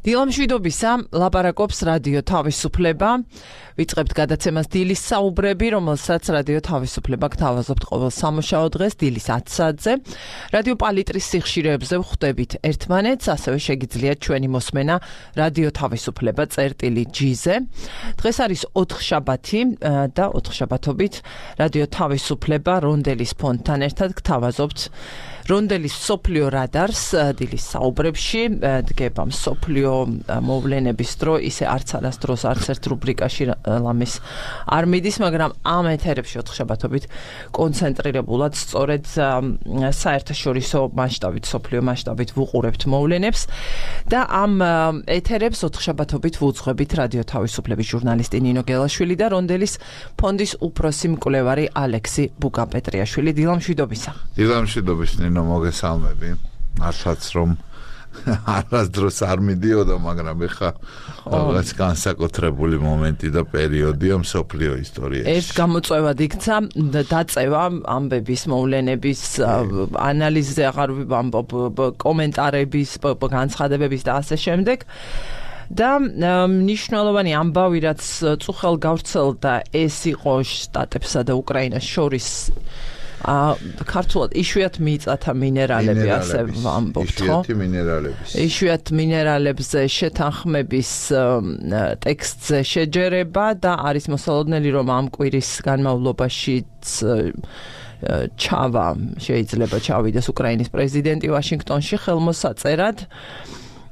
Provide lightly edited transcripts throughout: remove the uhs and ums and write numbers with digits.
დილამშვიდობისა, ლაპარაკობს რადიო თავისუფლება. ვიწყებთ გადაცემას დილის საუბრები, რომელსაც რადიო თავისუფლება გთავაზობთ ყოველ სამუშაო დღეს დილის 10 საათზე. რადიო პალიტრის სიხშირეებზე ვხვდებით ერთმანეთს, ასევე შეგიძლიათ ჩვენი მოსმენა რადიო თავისუფლება წერტილი-G-ზე. დღეს არის 4 შაბათი და 4 შაბათობით რადიო თავისუფლება რონდელის ფონდთან ერთად გთავაზობთ რონდელის სოფლიო რადარს დილის საუბრებში. დგება სოფლიო მოვლენების დრო, ისე არც არასდროს არც ერთ რუბრიკაში ლამის არ მიდის, მაგრამ ამ ეთერებში 4 შაბათობით კონცენტრირებულად სწორედ საერთაშორისო მასშტაბით, სოფლიო მასშტაბით ვუყურებთ მოვლენებს და ამ ეთერებს 4 შაბათობით ვუძღვებით რადიო თავისუფლების ჟურნალისტი ნინო გელაშვილი და რონდელის ფონდის უფროსი მკვლევარი ალექსი ბუკაპეტრიაშვილი. დილამშვიდობისა. დილამშვიდობის ნინო, მოგესალმები. მართლაც რომ არასდროს არ მიდიოდა, მაგრამ ეხა რაღაც განსაკუთრებული მომენტი და პერიოდია მსოფლიო ისტორიაში. ერთ გამოწვევად იქცა დაწევა ამბების, მოვლენების ანალიზზე, აღარ ვამბობ, კომენტარების, განცხადებების და ასე შემდეგ. და მნიშვნელოვანი ამბავი, რაც წუხელ გავრცელდა, ეს იყო შტატებსა და უკრაინას შორის ქართულად იშვიათ მიწათა მინერალები, ასე ვამბობთ, ხო? იშვიათ მინერალებზე შეთანხმების ტექსტზე შეჯერება და არის მოსალოდნელი, რომ ამ კვირის განმავლობაშიც შეიძლება ჩავიდეს უკრაინის პრეზიდენტი ვაშინგტონში ხელმოსაწერად.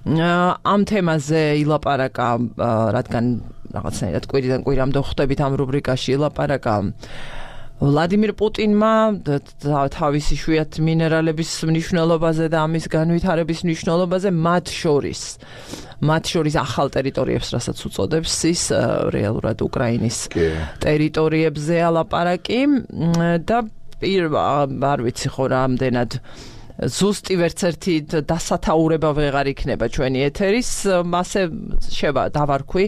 ამ თემაზე ილაპარაკა, რადგან რაღაცნაირად კვირიდან კვირამდე ხვდებით ამ რუბრიკაში, ილაპარაკა ვლადიმირ პუტინმა თავის იშვიათ მინერალების მნიშვნელობაზე და ამის განვითარების მნიშვნელობაზე, მათ შორის ახალ ტერიტორიებს, რასაც უწოდებს ის, რეალურად უკრაინის ტერიტორიებზეა ლაპარაკი და არ ვიცი ხო რამდენად ზუსტი ვერც ერთი დასათაურება ვეღარ იქნება ჩვენი ეთერის, მასე დავარქვი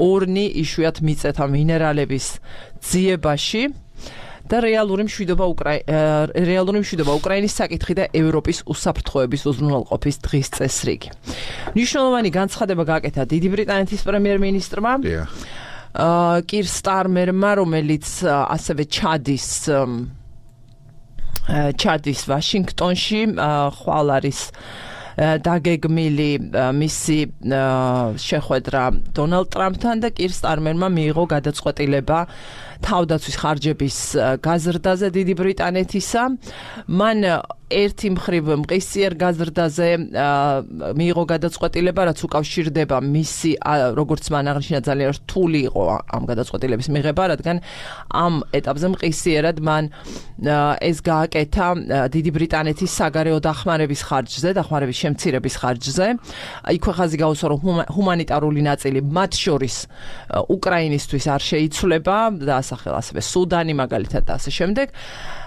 ორნი იშვიათ მიწათა მინერალების ძიებაში და რეალური მშვიდობა უკრაინის საკითხი და ევროპის უსაფრთხოების უზრუნველყოფის დღის წესრიგი. მნიშვნელოვანი განცხადება გააკეთა დიდი ბრიტანეთის პრემიერ-მინისტრმა კირ სტარმერმა, რომელიც ასევე ჩადის ვაშინგტონში, ხვალ არის დაგეგმილი მისი შეხვედრა დონალდ ტრამპთან და კირ სტარმერმა მიიღო გადაწყვეტილება თავდაცვის ხარჯების გაზრდაზე დიდი ბრიტანეთისა. მან ერთი მხრივ მყისიერ გაზრდაზე მიიღო გადაწყვეტილება, რაც უკავშირდება მისი, როგორც მან აღნიშნა, ძალიან რთული იყო ამ გადაწყვეტილების მიღება, რადგან ამ ეტაპზე მყისიერად მან ეს გააკეთა დიდი ბრიტანეთის საგარეო დახმარების ხარჯზე, დახმარების შემცირების ხარჯზე. იქვე ხაზი გაუსვა, რომ ჰუმანიტარული ნაწილი, მათ შორის უკრაინისთვის არ შეიცვლება და ასახელა ასევე სუდანი მაგალითად და ასე შემდეგ.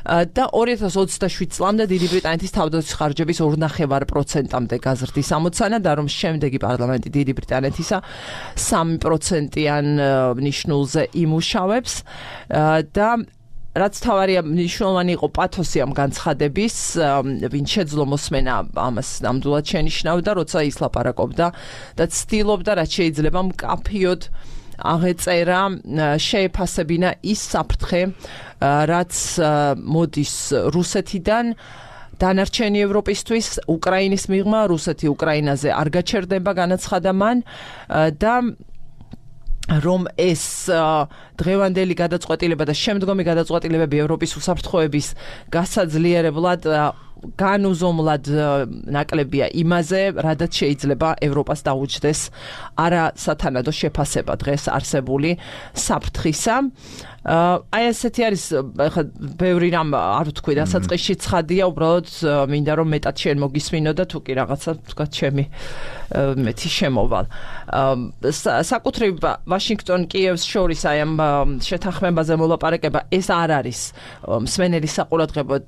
და 2027 წლამდე დიდი ბრიტანეთის თავდაცვის ხარჯების 2.5%-მდე გაზრდის ამოცანა და რომ შემდეგი პარლამენტი დიდი ბრიტანეთისა 3%-იან ნიშნულზე იმუშავებს და რაც თავარია მნიშვნელოვანი იყო პათოსი ამ განცხადების, ვინ შეძლო მოსმენა ამას ნამდვილად შენიშნავდა, როცა ის ლაპარაკობდა და ცდილობდა, რაც შეიძლება მკაფიოდ აღეწერა, შეეფასებინა ის საფრთხე, რაც მოდის რუსეთიდან დანარჩენი ევროპისთვის, უკრაინის მიღმა, რუსეთი უკრაინაზე არ გაჩერდება, განაცხადა მან და რომ ეს დღევანდელი გადაწყვეტილება და შემდგომი გადაწყვეტილებები ევროპის უსაფრთხოების გასაძლიერებლად განუზომლად ნაკლებია იმაზე, რადგან შეიძლება ევროპას დაუჯდეს არასათანადო შეფასება დღეს არსებული საფრთხისა. აი ესეთი არის, ხა ბევრი რამ არ ვთქვი, დასაწყისში ცხადია, უბრალოდ მინდა რომ მეტად შენ მოგისმინო და თუ კი რაღაცა თქვა ჩემი მეტი შემოვალ. საკუთრივ ვაშინგტონ კიევს შორის აი ამ შეთანხმებაზე მოლაპარაკება, ეს არ არის მსმენელის საყურადღებოდ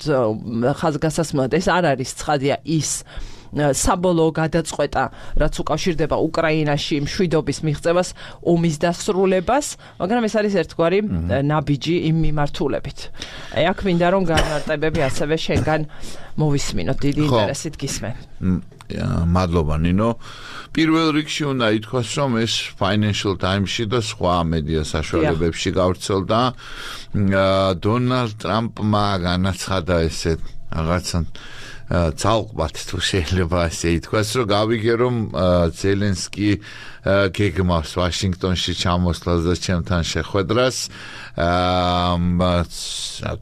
ხაზგასასმელად, ეს არ არის ცხადია ის საბოლოო გადაწყვეტა, რაც უკავშირდება უკრაინაში მშვიდობის მიღწევას, ომის დასრულებას, მაგრამ ეს არის ერთგვარი ნაბიჯი იმ მიმართულებით. აქ მინდა რომ განმარტებები ასევე შენგან მოვისმინოთ, დიდი ინტერესით გისმენ. მადლობა ნინო. პირველ რიგში უნდა ითქვას, რომ ეს Financial Times-ში და სხვა მედია საშუალებებში გავრცელდა. დონალდ ტრამპმა განაცხადა ესე რაღაცა ცალკბათ თუ შეიძლება ასე ითქვას, რომ გავიგე რომ ზელენსკი გეგმავს ვაშინგტონში ჩამოსვლას და ჩემთან შეხვედრას.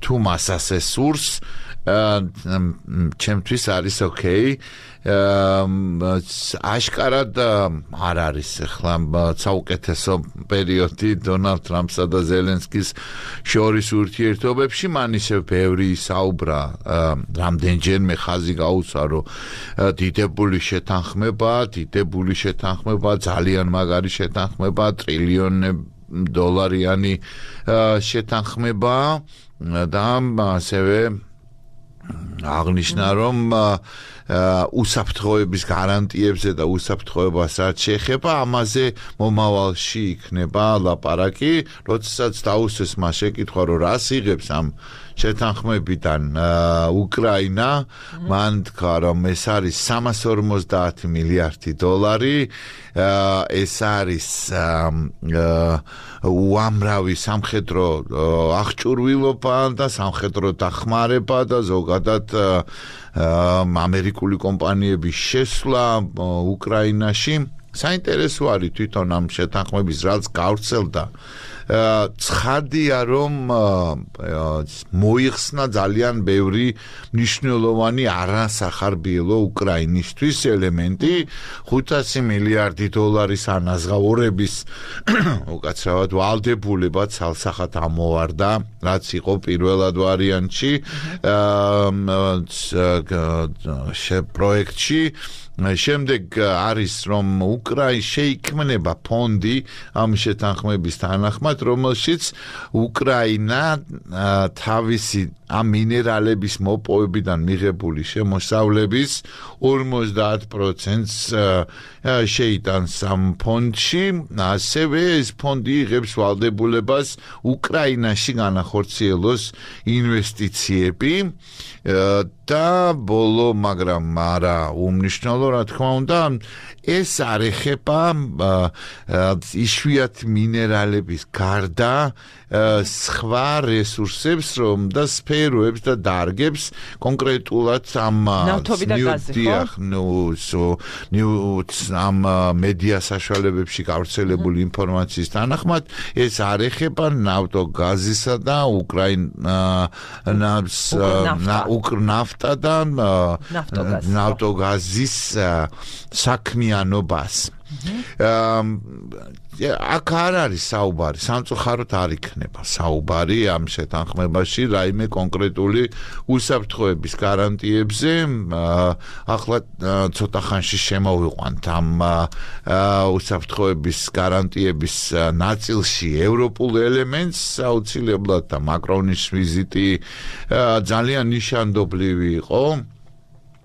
თუ მას ასე სურს, ჩემთვის არის ოკეი. აშკარად არ არის ახლა საუკეთესო პერიოდი დონალდ ტრამპსა და ზელენსკის შორის ურთიერთობებში. მან ისევ ბევრი საუბრა, რამდენჯერმე ხაზი გაუცა, რომ დიდებული შეთანხმება, ძალიან მაგარი შეთანხმება, ტრილიონდოლარიანი შეთანხმება და ასევე აღნიშნა, რომ უსაფრთხოების გარანტიებზე და უსაფრთხოებას რაც შეეხება, ამაზე მომავალში იქნება ლაპარაკი. როდესაც დაუსვეს მას შეკითხვა, რომ რას იღებს ამ შეთანხმებიდან უკრაინა, მან თქვა, რომ ეს არის 350 მილიარდი დოლარი, ეს არის უამრავი სამხედრო აღჭურვილობა და სამხედრო დახმარება და ზოგადად ამერიკული კომპანიების შესვლა უკრაინაში. საინტერესო არის თვითონ ამ შეთანხმების რაც გავრცელდა. ცხადია, რომ მოიხსნა ძალიან ბევრი მნიშვნელოვანი არასახარბიელო უკრაინისთვის ელემენტი. 500 მილიარდი დოლარის ანაზღაურების უკაცრავად ვალდებულება ცალსახად ამოვარდა, რაც იყო პირველად ვარიანტში პროექტში. შემდეგ არის, რომ შეიქმნება ფონდი ამ შეთანხმების თანახმად, რომელშიც უკრაინა თავისი ამ მინერალების მოპოვებიდან მიღებული შემოსავლების 50%-ს შეიტანს ამ ფონდში. ასევე ეს ფონდი იღებს ვალდებულებას უკრაინაში განახორციელოს ინვესტიციები და ბოლო, მაგრამ არა უმნიშვნელო, რა თქმა უნდა, ეს არ ეხება იშვიათ მინერალების გარდა სხვა რესურსებს, რომ და სფეროებს და დარგებს კონკრეტულად ამ ამ მედია საშუალებებში გავრცელებული ინფორმაციის თანახმად, ეს არ ეხება ნავთობგაზისა და ნაფტა და ნავთობგაზის საქმიანობას. აქ არ არის საუბარი, სამწუხაროდ არ იქნება საუბარი ამ შეთანხმებაში რაიმე კონკრეტული უსაფრთხოების გარანტიებზე. ახლა ცოტა ხანში შემოვიყვანთ ამ უსაფრთხოების გარანტიების ნაწილში ევროპულ ელემენტს. აუცილებლად და მაკრონის ვიზიტი ძალიან ნიშანდობლივი იყო.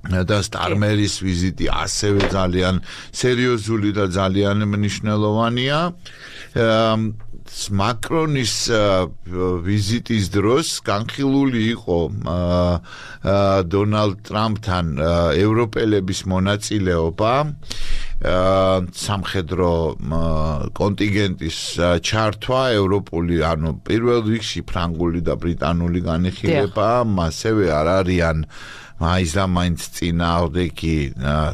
და სტარმერის ვიზიტი ასევე ძალიან სერიოზული და ძალიან მნიშვნელოვანია. მაკრონის ვიზიტის დროს განხილული იყო დონალდ ტრამპთან ევროპელების მონაწილეობა სამხედრო კონტინგენტის ჩართვა ევროპული, ანუ პირველ რიგში ფრანგული და ბრიტანული განიხილება, ასევე არ არიან მაინც წინააღმდეგი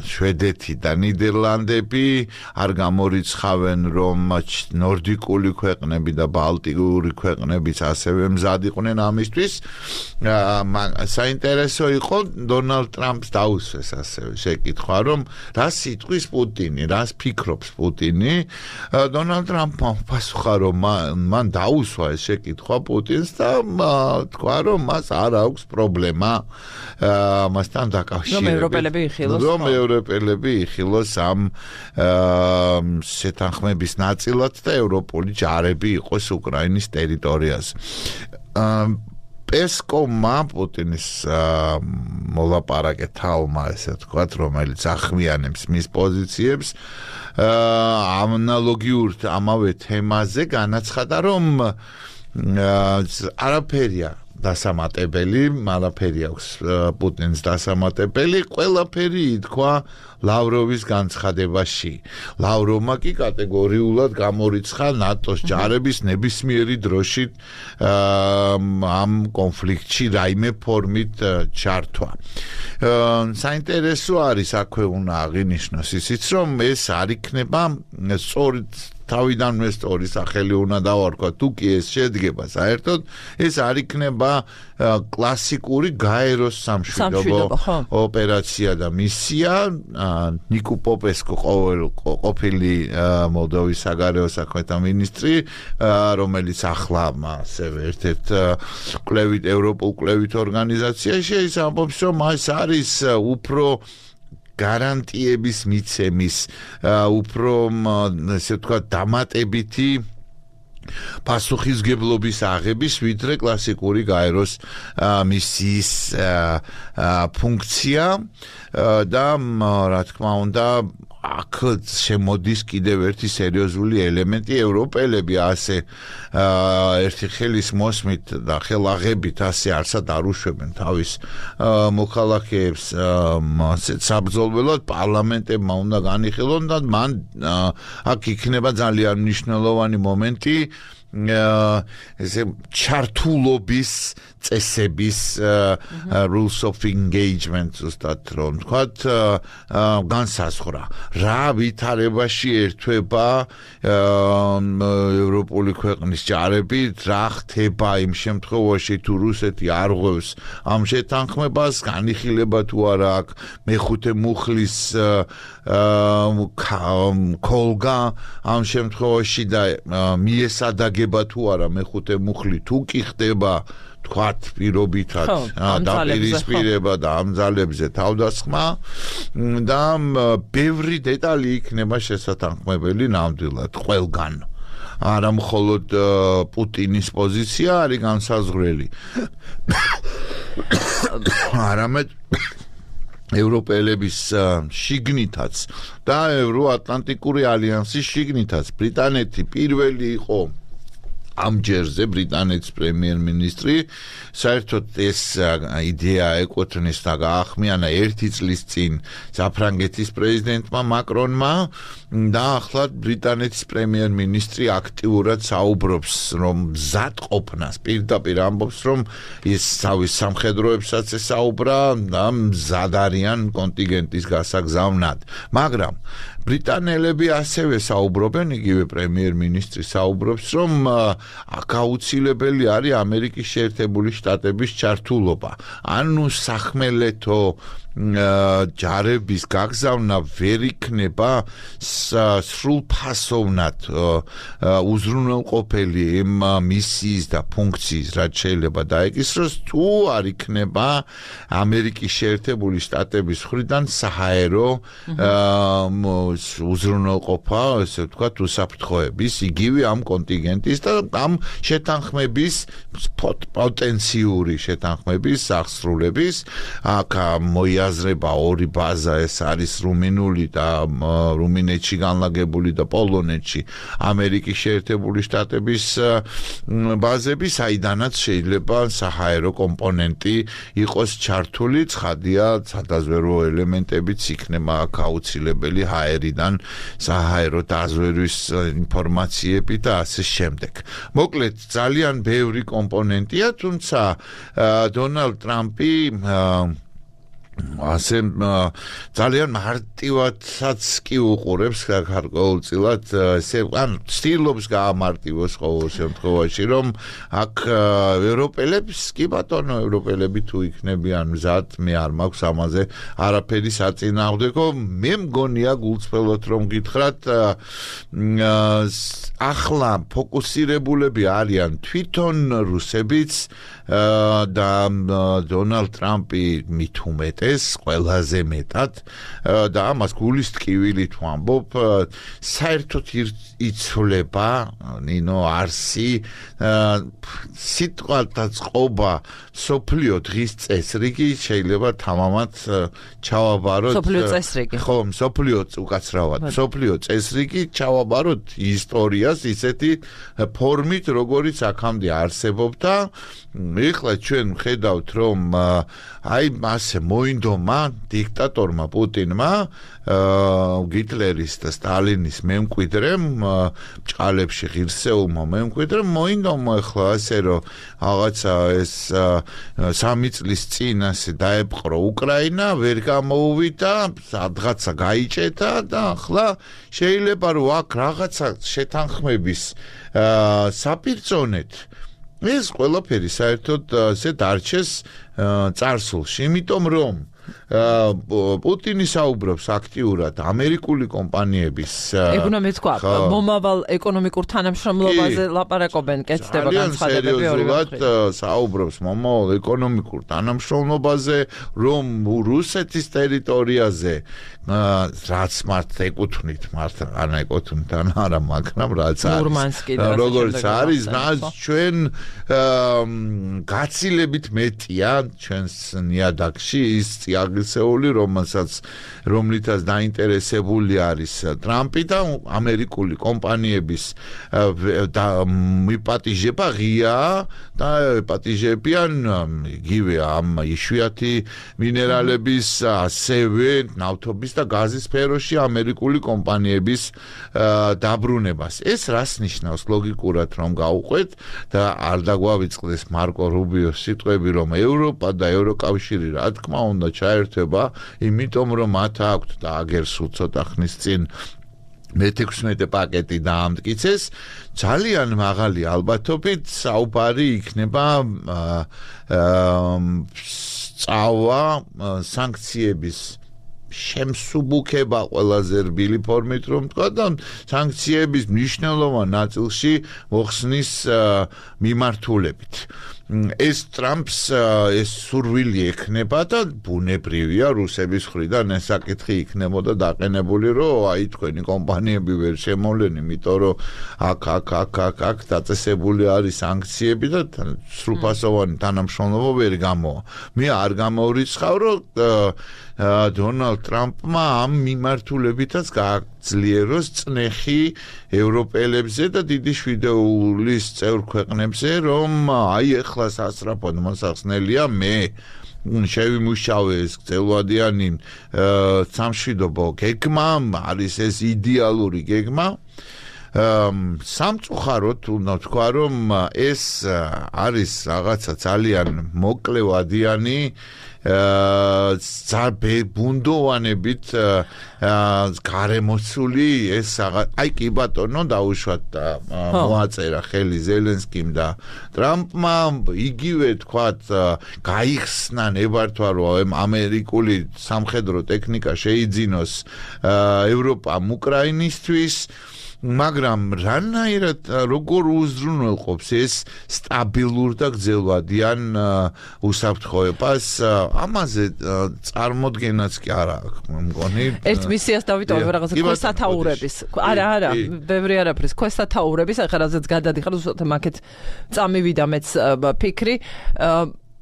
შვედეთი და ნიდერლანდები, არ გამორიცხავენ, რომ ნორდიკული ქვეყნები და ბალტიკური ქვეყნებიც ასევე მზად იყვნენ ამისთვის. საინტერესო იყო დონალდ ტრამპს დაუსვეს ასევე შეკითხვა, რომ რას იტყვის პუტინი, რას ფიქრობს პუტინი. დონალდ ტრამპმა პასუხა, რომ მან დაუსვა ეს შეკითხვა პუტინს და თქვა, რომ მას არ აქვს პრობლემა მასთან დაკავშირებით, რომ ევროპელები იხილოს ამ შეთანხმების ნაწილად და ევროპული ჯარები იყოს უკრაინის ტერიტორიაზე. პესკოვმა პუტინის მოლაპარაკე თალმა ესე ვთქვათ, რომელიც ახმიანებს მის პოზიციებს, ანალოგიურ ამავე თემაზე განაცხადა, რომ არაფერია დასამატებელი, არაფერი აქვს პუტინს დასამატებელი, ყველაფერი ითქვა ლავროვის განცხადებაში. ლავროვმა კი კატეგორიულად გამორიცხა ნატოს ჯარების ნებისმიერი დროში ამ კონფლიქტში რაიმე ფორმით ჩართვა. საინტერესო არის აქვე უნდა აღინიშნოს ისიც, რომ ეს არ იქნება სწორედ თავიდანვე სწორი სახელი უნდა დავარქვა, თუ კი ეს შედგება საერთოდ, ეს არ იქნება კლასიკური გაეროს სამშვიდობო ოპერაცია და მისია. ნიკო პოპესკო ყოფილი მოლდოვის საგარეო საქმეთა მინისტრი, რომელიც ახლა ასევე ერთ-ერთ ევროპულ კვლევით ორგანიზაციაში, ის ამბობს, რომ ეს არის უფრო გარანტიების მიცემის, უფრო ესე ვთქვათ, დამატებითი პასუხისგებლობის აღების, ვიდრე კლასიკური გაეროს მისიის ფუნქცია და რა თქმა უნდა აქ შემოდის კიდევ ერთი სერიოზული ელემენტი. ევროპელები ასე ერთი ხელის მოსმით და ხელაღებით ასე არსად არ უშვებენ თავის მოქალაქეებს საბრძოლველად, პარლამენტებმა უნდა განიხილონ და მან აქ იქნება ძალიან მნიშვნელოვანი მომენტი ესე ჩართულობის წესების rules of engagement ზუსტად რომ ვთქვათ განსაზღვრა რა ვითარებაში ერთვება ევროპული ქვეყნის ჯარები, რა ხდება იმ შემთხვევაში თუ რუსეთი არ ღვევს ამ შეთანხმებას, განიხილება თუ არა აქვს მეხუთე მუხლის კოლგა ამ შემთხვევაში და მიესადაგება თუ არა მეხუთე მუხლი თუ კი ხდება თქვათ პირობითად დაპირისპირება და ამ ძალებზე თავდასხმა და ბევრი დეტალი იქნება შესათანხმებელი ნამდვილად ყველგან. არა მხოლოდ პუტინის პოზიცია არის განსაზღვრელი. არამედ ევროპელების შიგნითაც და ევროატლანტიკური ალიანსის შიგნითაც ბრიტანეთი პირველი იყო ამ ჯერზე ბრიტანეთის პრემიერ-მინისტრი საერთოდ ეს იდეა ეკუთვნის და გაახმიანა 1 წლის წინ საფრანგეთის პრეზიდენტმა მაკრონმა და ახლა ბრიტანეთის პრემიერ-მინისტრი აქტიურად საუბრობს რომ მზად ყოფნას პირდაპირ ამბობს რომ ის თავის სამხედროებსაც ესაუბრა და მზად არიან კონტინგენტის გასაგზავნად მაგრამ ბრიტანელები ასევე საუბრობენ იგივე პრემიერ-მინისტრი საუბრობს რომ აქ აუცილებელი არის ამერიკის შეერთებული შტატების ჩართულობა. ანუ სახმელეთო ჯარების გაგზავნა ვერ იქნება სრულფასოვნად უზრუნველყოფელი იმ მისიის და ფუნქციის რაც შეიძლება დაეკისროს თუ არ იქნება ამერიკის შეერთებული შტატების მხრიდან საჰაერო უზრუნველყოფა, ესე ვთქვათ, უსაფრთხოების, იგივე ამ კონტინგენტის და ამ შეთანხმების პოტენციური შეთანხმების აღსრულების აქ მოიაზრება ორი ბაზა, ეს არის რუმინული და რუმინეთში განლაგებული და პოლონეთში ამერიკის შეერთებული შტატების ბაზები, საიდანაც შეიძლება საჰაერო კომპონენტი იყოს ჩართული, ცხადია, სადაზვერვო ელემენტებიც იქნება აქ აუცილებელი ჰაერიდან საჰაერო დაზვერვის ინფორმაციები და ასე შემდეგ. მოკლედ ძალიან ბევრი კომპონენტია, თუმცა დონალდ ტრამპი ასე ძალიან მარტივადაც კი უყურებს გარკვეულწილად ესე ან ცდილობს გაამარტივოს ყოველ შემთხვევაში რომ აქ ევროპელებს კი ბატონო ევროპელები თუ იქნებიან მზად მე არ მაქვს ამაზე არაფერი საწინააღმდეგო მე მგონია გულწრფელად რომ გითხრათ ახლა ფოკუსირებულები არიან თვითონ რუსებიც და დონალდ ტრამპი მით უმეტეს დღეს ყველაზე მეტად და ამას გულის ტკივილით ვამბობ საერთოდ იცვლება ნინო არსი სიტყვათა წყობა სოფლიო დღის წესრიგი შეიძლება თამამად ჩავაბაროთ სოფლიო წესრიგი ხო სოფლიო უკაცრავად სოფლიო წესრიგი ჩავაბაროთ ისტორიას ისეთი ფორმით როგორიც აქამდე არსებობდა ეხლა ჩვენ ხედავთ რომ აი მასე მოინდომა დიქტატორმა პუტინმა გიტლერის და სტალინის მემკვიდრემ ჭალებში ღირსეულმა მემკვიდრემ მოინდომა ეხლა ასე რომ რაღაცა ეს 3 წლის წინ ასე დაეპყრო უკრაინა ვერ გამოუვიდა სადღაცა გაიჭედა და ახლა შეიძლება რომ აქ რაღაცა შეთანხმების საპირწონეთ ეს ყველაფერი საერთოდ ასე დარჩეს წარსულში იმიტომ რომ პუტინი საუბრობს აქტიურად ამერიკული კომპანიების ეგ უნდა მეთქვა მომავალ ეკონომიკურ თანამშრომლობაზე ლაპარაკობენ კეთდება განცხადებები ორივე სერიოზულად საუბრობს მომავალ ეკონომიკურ თანამშრომლობაზე რომ რუსეთის ტერიტორიაზე რაც მართ ეკუთვნით არა მაგრამ რაც არის როგორც არის რაც ჩვენ გაცილებით მეტია ჩვენს ნიადაგში ის წიაღისეული რომლითაც დაინტერესებული არის ტრამპი და ამერიკული კომპანიების მიპატიჟება ღია და პატიჟებიან იგივე ამ იშვიათი მინერალების ასევე ნავთობის და გაზის სფეროში ამერიკული კომპანიების დაბრუნებას ეს რას ნიშნავს ლოგიკურად რომ გავუყვეთ და არ დაგვავიწყდეს მარკო რუბიოს სიტყვები რომ ევროპა და ევროკავშირი რა თქმა უნდა ჩაერთვება იმიტომ რომ მათ აქვთ და აგერ სულ ცოტა ხნის წინ მე-16 პაკეტი დაამტკიცეს ძალიან მაღალი ალბათობით საუბარი იქნება სწავლა სანქციების შემსუბუქება ყველაზე რბილი ფორმით რომ თქვა და სანქციების მნიშვნელოვან ნაწილში მოხსნის მიმართულებით ეს ტრამპს ეს სურვილი ექნება და ბუნებრივია რუსების მხრიდან ეს საკითხი იქნებოდა დაყენებული რომ აი თქვენი კომპანიები ვერ შემოვლენ იმიტომ რომ აქ დაწესებული არის სანქციები და სრულფასოვანი თანამშრომლობა ვერ გამოვა მე არ გამოვრიცხავ რომ დონალდ ტრამპმა ამ მიმართულებითაც გააძლიეროს წნეხი ევროპელებზე და დიდი შვიდეულის წევრ ქვეყნებზე რომ აი ეხლა სასწრაფოდ მოსახსნელია მე შევიმუშავე ეს გრძელვადიანი სამშვიდობო გეგმა არის ეს იდეალური გეგმა სამწუხაროდ უნდა თქვა რომ ეს არის რაღაცა ძალიან მოკლევადიანი ბუნდოვანებით გარემოცული ეს აი კი ბატონო დაუშვათ მოაწერა ხელი ზელენსკიმ და ტრამპმა იგივე თქვათ გაიხსნა ნებართვა რომ ამერიკული სამხედრო ტექნიკა შეიძინოს ევროპამ უკრაინისთვის მაგრამ რანაირად როგორ უზრუნველყოფს ეს სტაბილურ და გრძელვადიან უსაფრთხოებას ამაზე წარმოდგენაც კი არა აქვს მგონი ერთ მისიას დავიტოვებ რაღაცა ქვესათაურების არა ბევრი არაფრის ქვესათაურების ახლა რაზეც გადადიხარ უბრალოდ მაგეთ წამივიდა მეც ფიქრი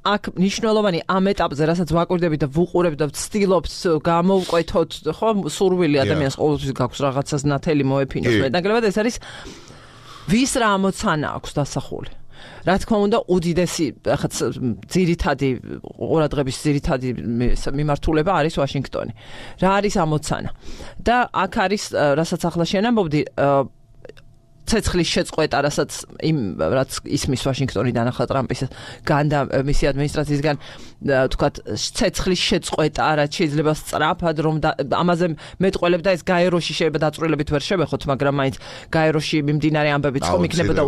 აქ მნიშვნელოვანი ამ ეტაპზე რასაც ვაკვირდებით და ვუყურებთ და ვცდილობთ გამოვკვეთოთ ხო სურვილი ადამიანს ყოველთვის გაქვს რაღაცას ნათელი მოეფინოს მეტნაკლებად ეს არის ვის რა ამოცანა აქვს დასახული რა თქმა უნდა უდიდესი ახაც ძირითადი ყურადღების ძირითადი მიმართულება არის ვაშინგტონი რა არის ამოცანა და აქ არის რასაც ახლა შენ ამბობდი ცეცხლის შეწყვეტა, რასაც რაც ისმის ვაშინგტონიდან ახლა ტრამპის განდა მისი ადმინისტრაციისგან თქვათ ცეცხლის შეწყვეტა, რაც შეიძლება სწრაფად რომ ამაზე მეტყველებ და ეს გაეროში შეიძლება დაწვრილებით ვერ შევეხოთ, მაგრამ მაინც გაეროში მიმდინარე ამბებიც ხომ იქნებოდა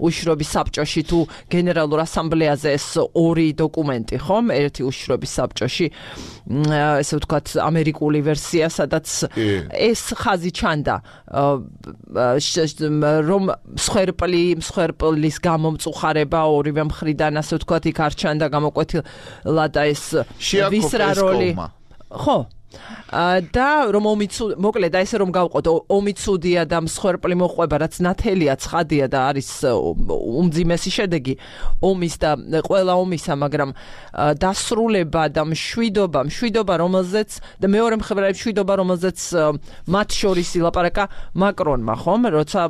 უშიშროების საბჭოში თუ გენერალურ ასამბლეაზე ეს ორი დოკუმენტი, ხომ? ერთი უშიშროების საბჭოში, ესე ვთქვათ, ამერიკული ვერსია, სადაც ეს ხაზი ჩანდა რომ მსხვერპლის გამომწუხარება ორივე მხრიდან ასე ვთქვათ იქ არ ჩანდა გამოკვეთილად და ეს ვისრა როლი ხო და რომ მოკლედ და ესე რომ გავყოთ ომი ცუდია და მსხვერპლი მოყვება რაც ნათელია ცხადია და არის უმძიმესი შედეგი ომის და ყველა ომისა მაგრამ დასრულება და მშვიდობა რომელზეც და მეორე მხრივ მშვიდობა რომელზეც მათ შორის ილაპარაკა მაკრონმა ხომ როცა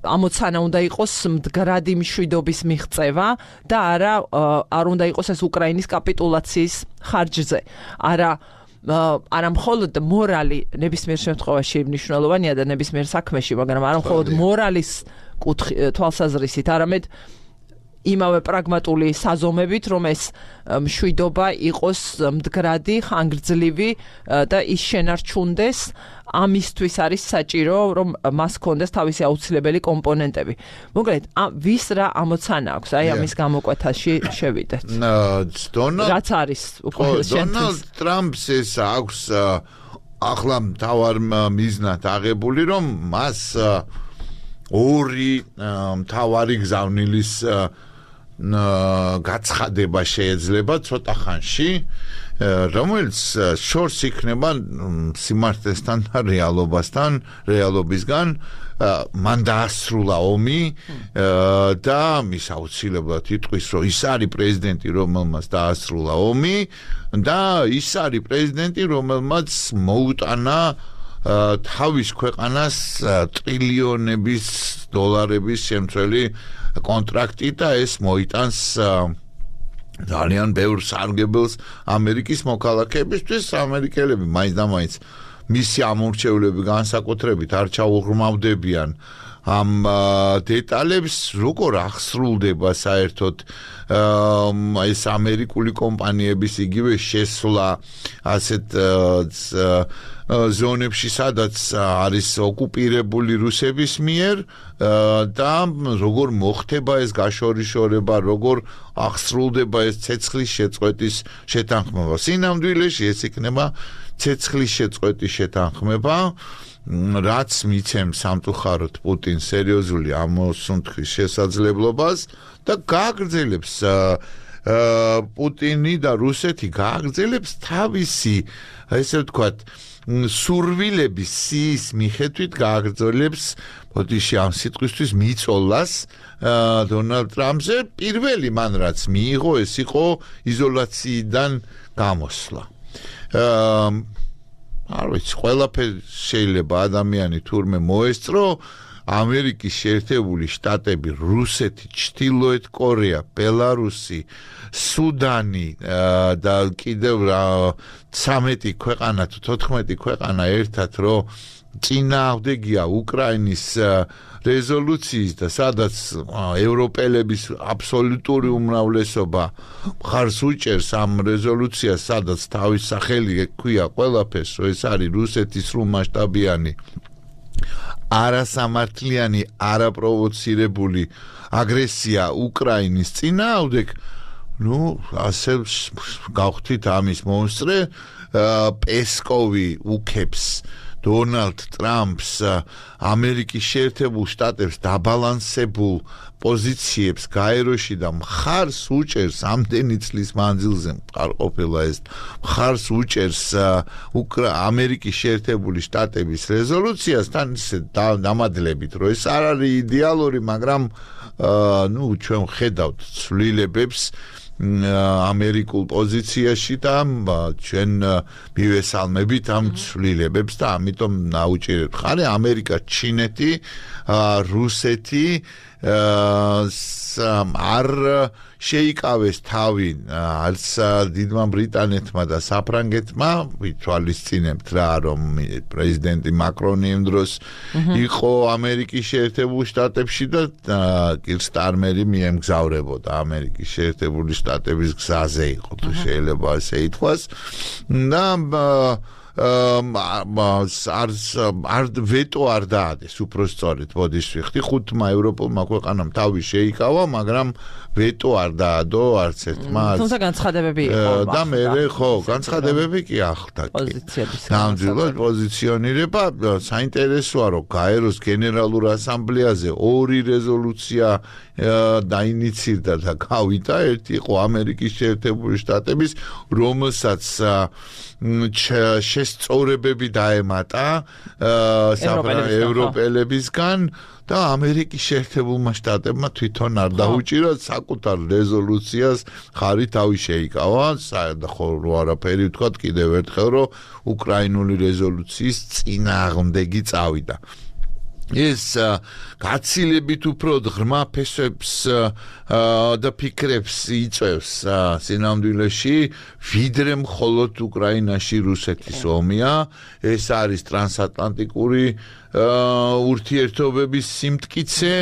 ამოცანა უნდა იყოს მდგრადი მშვიდობის მიღწევა და არ უნდა იყოს ეს უკრაინის კაპიტულაციის ხარჯზე არა მხოლოდ მორალი ნებისმიერ შემთხვევაში მნიშვნელოვანია და ნებისმიერ საქმეში, მაგრამ არა მხოლოდ მორალის თვალსაზრისით, არამედ იმავე პრაგმატული საზომებით, რომ ეს მშვიდობა იყოს მდგრადი, ხანგრძლივი და ის შენარჩუნდეს, ამისთვის არის საჭირო, რომ მას ჰქონდეს თავისი აუცილებელი კომპონენტები. მოკლედ, ვის რა ამოცანა აქვს, აი ამის გამოკვეთაში შევიდეთ. რაც არის უკვე დონალდ ტრამპს ეს აქვს ახლა მთავარ მიზნად აღებული, რომ მას ორი მთავარი გზავნილის გაცხადება შეიძლება ცოტა ხანში, რომელიც შორს იქნება სიმართლესთან და რეალობისგან მან დაასრულა ომი და მის აუცილებლად იტყვის, რომ ის არის პრეზიდენტი, რომელმაც დაასრულა ომი და ის არის პრეზიდენტი, რომელმაც მოუტანა თავის ქვეყანას ტრილიონების დოლარების შემცველი კონტრაქტი და ეს მოიტანს ძალიან ბევრ სარგებელს ამერიკის მოქალაქეებისთვის. ამერიკელები მაინც და მაინც მისი ამორჩევლები განსაკუთრებით არ ჩაუღრმავდებიან ამ დეტალებს, როგორ ახსრულდება საერთოდ ეს ამერიკული კომპანიების იგივე შესვლა ასეთ ზონებში, სადაც არის ოკუპირებული რუსების მიერ და როგორ მოხდება ეს გაშორიშორება, როგორ ახსრულდება ეს ცეცხლის შეწყვეტის შეთანხმება. სინამდვილეში ეს იქნება ცეცხლის შეწყვეტის შეთანხმება, რაც მიცემს სამწუხაროდ პუტინს სერიოზული ამოსუნთქვის შესაძლებლობას და გააგრძელებს პუტინი და რუსეთი გააგრძელებს თავისი, ესე ვთქვათ, სურვილების სიის მიხედვით გააგრძელებს ბოდიში ამ სიტყვისთვის მიწოლას დონალდ ტრამპზე. პირველი მან რაც მიიღო, ეს იყო იზოლაციიდან გამოსვლა. არ ვიცი, ყველაფერი შეიძლება ადამიანი თურმე მოესწრო. ამერიკის შეერთებული შტატები, რუსეთი, ჩრდილოეთ კორეა, ბელარუსი, სუდანი და კიდევ 13 ქვეყანა თუ 14 ქვეყანა ერთად რომ წინააღმდეგია უკრაინის რეზოლუციის და სადაც ევროპელების აბსოლუტური უმრავლესობა მხარს უჭერს ამ რეზოლუციას, სადაც თავის სახელი ექვია ყველაფერს, რომ ეს არის რუსეთის სრულმასშტაბიანი არასამართლიანი, არაპროვოცირებული აგრესია უკრაინის წინააღმდეგ, ასე გავხდით ამის მონსტრე. პესკოვი უქებს დონალდ ტრამპს ამერიკის შეერთებულ შტატებს დაბალანსებულ პოზიციებს გაეროში და მხარს უჭერს ამდენი წლის მანძილზე მყარყოფილა ეს მხარს უჭერს ამერიკის შეერთებული შტატების რეზოლუციასთან ისე დამადლებით, რომ ეს არ არის იდეალური, მაგრამ ჩვენ ხედავთ ცვლილებებს ამერიკულ პოზიციაში და ჩვენ მივესალმებით ამ ცვლილებებს და ამიტომ ნაუჭირებთ ხარი ამერიკა, ჩინეთი, რუსეთი არ შეიკავეს თავი არც დიდმა ბრიტანეთმა და საფრანგეთმა. ვითვალისწინებთ რა, რომ პრეზიდენტი მაკრონი იმ დროს იყო ამერიკის შეერთებულ შტატებში და კირ სტარმერი მიემგზავრებოდა ამერიკის შეერთებული შტატების გზაზე იყო, თუ შეიძლება ასე ითქვას. და არ ვეტო არ დაადეს უпростоრეთ ბოდის ვიხდი ხუთმა ევროპულმა ქვეყანამ თავი შეიკავა მაგრამ ვეტო არ დაადო არც ერთმა თუმცა განცხადებები იყო და მე ხო განცხადებები კი ახლდა პოზიციების ნამდვილად პოზიციონირება საინტერესოა რომ გაეროს გენერალურ ასამბლეაზე 2 რეზოლუცია დაინიცირდა და გავიდა ერთი იყო ამერიკის შეერთებული შტატების რომელსაც შესწორებები დაემატა ევროპელებისგან და ამერიკის შეერთებულმა შტატებმა თვითონ არ დაუჭირა საკუთარ რეზოლუციას ხარი თავი შეიკავა ხო არაფერი ვთქვა კიდევ ერთხელ რომ უკრაინული რეზოლუციის წინააღმდეგი წავიდა ეს გაცილებით უფრო ღრმა ფესვებს და ფიქრებს იწევს სინამდვილეში ვიდრე მხოლოდ უკრაინაში რუსეთის ომია ეს არის ტრანსატლანტიკური ურთიერთობების სიმტკიცე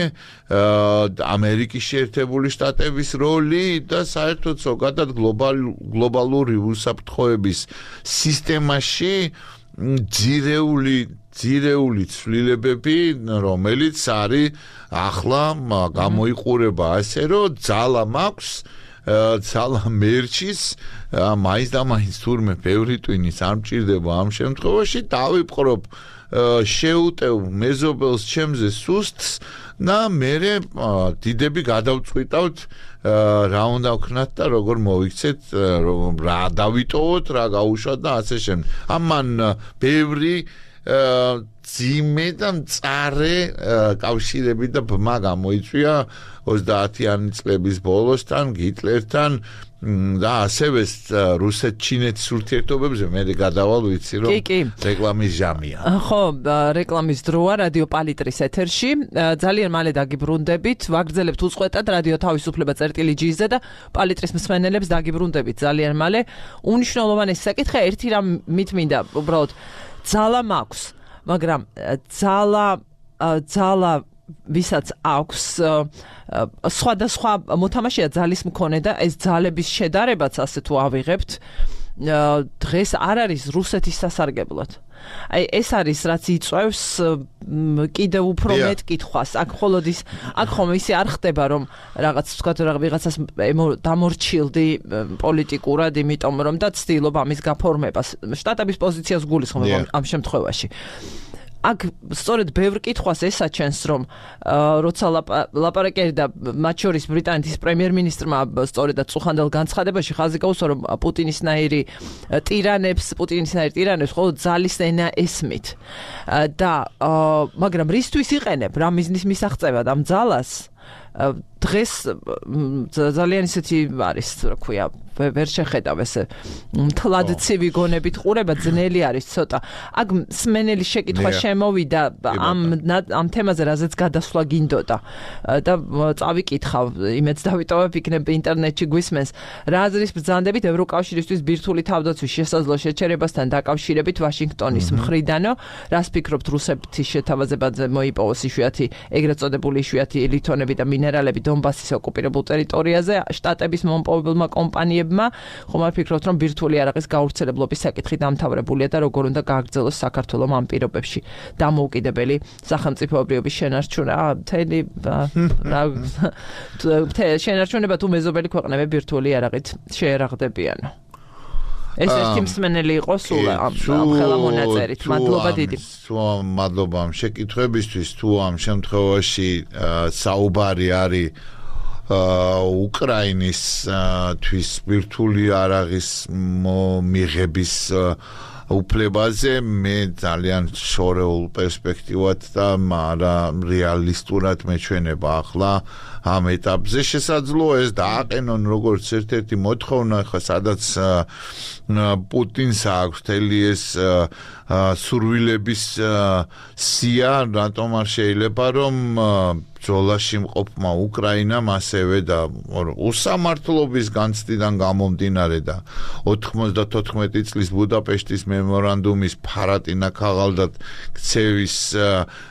ამერიკის შეერთებული შტატების როლი და საერთოდ ზოგადად გლობალური უსაფრთხოების სისტემაში ძირეული ცვლილებები რომელიც არის ახლა გამოიყურება ასე რომ ძალა მაქვს ძალა მერჩის მაინც და მაინც თურმე ბევრი ტვინის არ მჭირდება ამ შემთხვევაში დავიპყრობ შეუტევ მეზობელს ჩემზე სუსტს და მე დიდები გადავწყვიტავთ რა უნდა ვქნათ და როგორ მოვიქცეთ რა დავიტოვოთ რა გაუშვათ და ასე შემდეგ ამან ბევრი ძიმე და მწარე კავშირები და ბმა გამოიწვია 30-იანი წლების ბოლოსთან გიტლერთან და ასევე რუსეთ-ჩინეთის ურთიერთობებზე მე გადავალ ვიცი რომ რეკლამის ჟამია. ხო, რეკლამის დროა რადიო პალიტრის ეთერში. ძალიან მალე დაგიბრუნდებით. ვაგრძელებთ უწყვეტად რადიო თავისუფლება წერტილი-G-ზე და პალიტრის მსმენელებს დაგიბრუნდებით ძალიან მალე. უნიშნულოვანესი საკითხი ერთი რამ მითმინდა უბრალოდ ძალა მაქვს, მაგრამ ძალა ვისაც აქვს სხვადასხვა მოთამაშეა ძალის მქონე და ეს ძალების შედარებაც ასე თუ ავიღებთ დღეს არ არის რუსეთის სასარგებლოდ. აი ეს არის რაც იწევს კიდევ უფრო მეტ კითხვას. აქ მხოლოდ ის აქ ხომ ისე არ ხდება რომ რაღაც თქვა ვიღაცას დამორჩილდი პოლიტიკურად, იმიტომ რომ და ცდილობ ამის გაფორმებას. შტატების პოზიციას გულისხმობ ამ შემთხვევაში. აქ სწორედ ბევრ კითხვას ესაჩენს რომ როცა ლაპარაკი და მათ შორის ბრიტანეთის პრემიერ-მინისტრმა სწორედაც წუხანდელ განცხადებაში ხაზი გაუსვა რომ პუტინისნაირი ტირანებს მხოლოდ ძალის ენა ესმით და მაგრამ რისთვის იყენებ რა მიზნის მისაღწევად ამ ძალას დღეს ძალიან ისეთი არის რა ქვია ვერ შეხედავ ესე მთლად ცივი გონებით ყურება ძნელი არის ცოტა აქ სმენელი შეკითხვა შემოვიდა ამ თემაზე რაზეც გადასვლა გინდოდა და წავიკითხავ იმეც დავიტოვებ იქნებ ინტერნეტში გვისმენს რა აზრის ბრძანდებით ევროკავშირისთვის ბირთვული თავდაცვის შესაძლო შეჩერებასთან დაკავშირებით ვაშინგტონის მხრიდანო რას ფიქრობთ რუსეთის შეთავაზებაზე მოიპოვოს იშვიათი ეგრეთ წოდებული იშვიათი ლითონები და მინერალები დონბასის ოკუპირებულ ტერიტორიაზე შტატების მომპოვებელმა კომპანიებმა ხომ არ ფიქრობთ რომ ბირთვული არაღის გავრცელებლობის საკითხი დამთავრებულია და როგორ უნდა გააგრძელოს საქართველოს ამ პირობებში დამოუკიდებელი სახელმწიფოებრიობის შენარჩუნა შენარჩუნება თუ მეზობელი ქვეყნები ბირთვული არაღით შეერაღდებიანო ეს ერთი მსმენელი იყო სულ ამ ხელა მონაწერით მადლობა დიდი მადლობა ამ შეკითხვებისთვის თუ ამ შემთხვევაში საუბარი არის უკრაინის თვის ბირთვული არაღის მიღების უფლებაზე მე ძალიან შორეულ პერსპექტივად და რეალისტურად მეჩვენება ახლა ამ ეტაპზე შესაძლოა ეს დააყენონ როგორც ერთ-ერთი მოთხოვნა ხა სადაც პუტინს აქვს თელი ეს სურვილების სია რატომ არ შეიძლება რომ ბრძოლაში მყოფმა უკრაინამ ასევე და უსამართლობის განცდიდან გამომდინარე და 94 წლის ბუდაპეშტის მემორანდუმის ფარატინა ქაღალდად ქცევის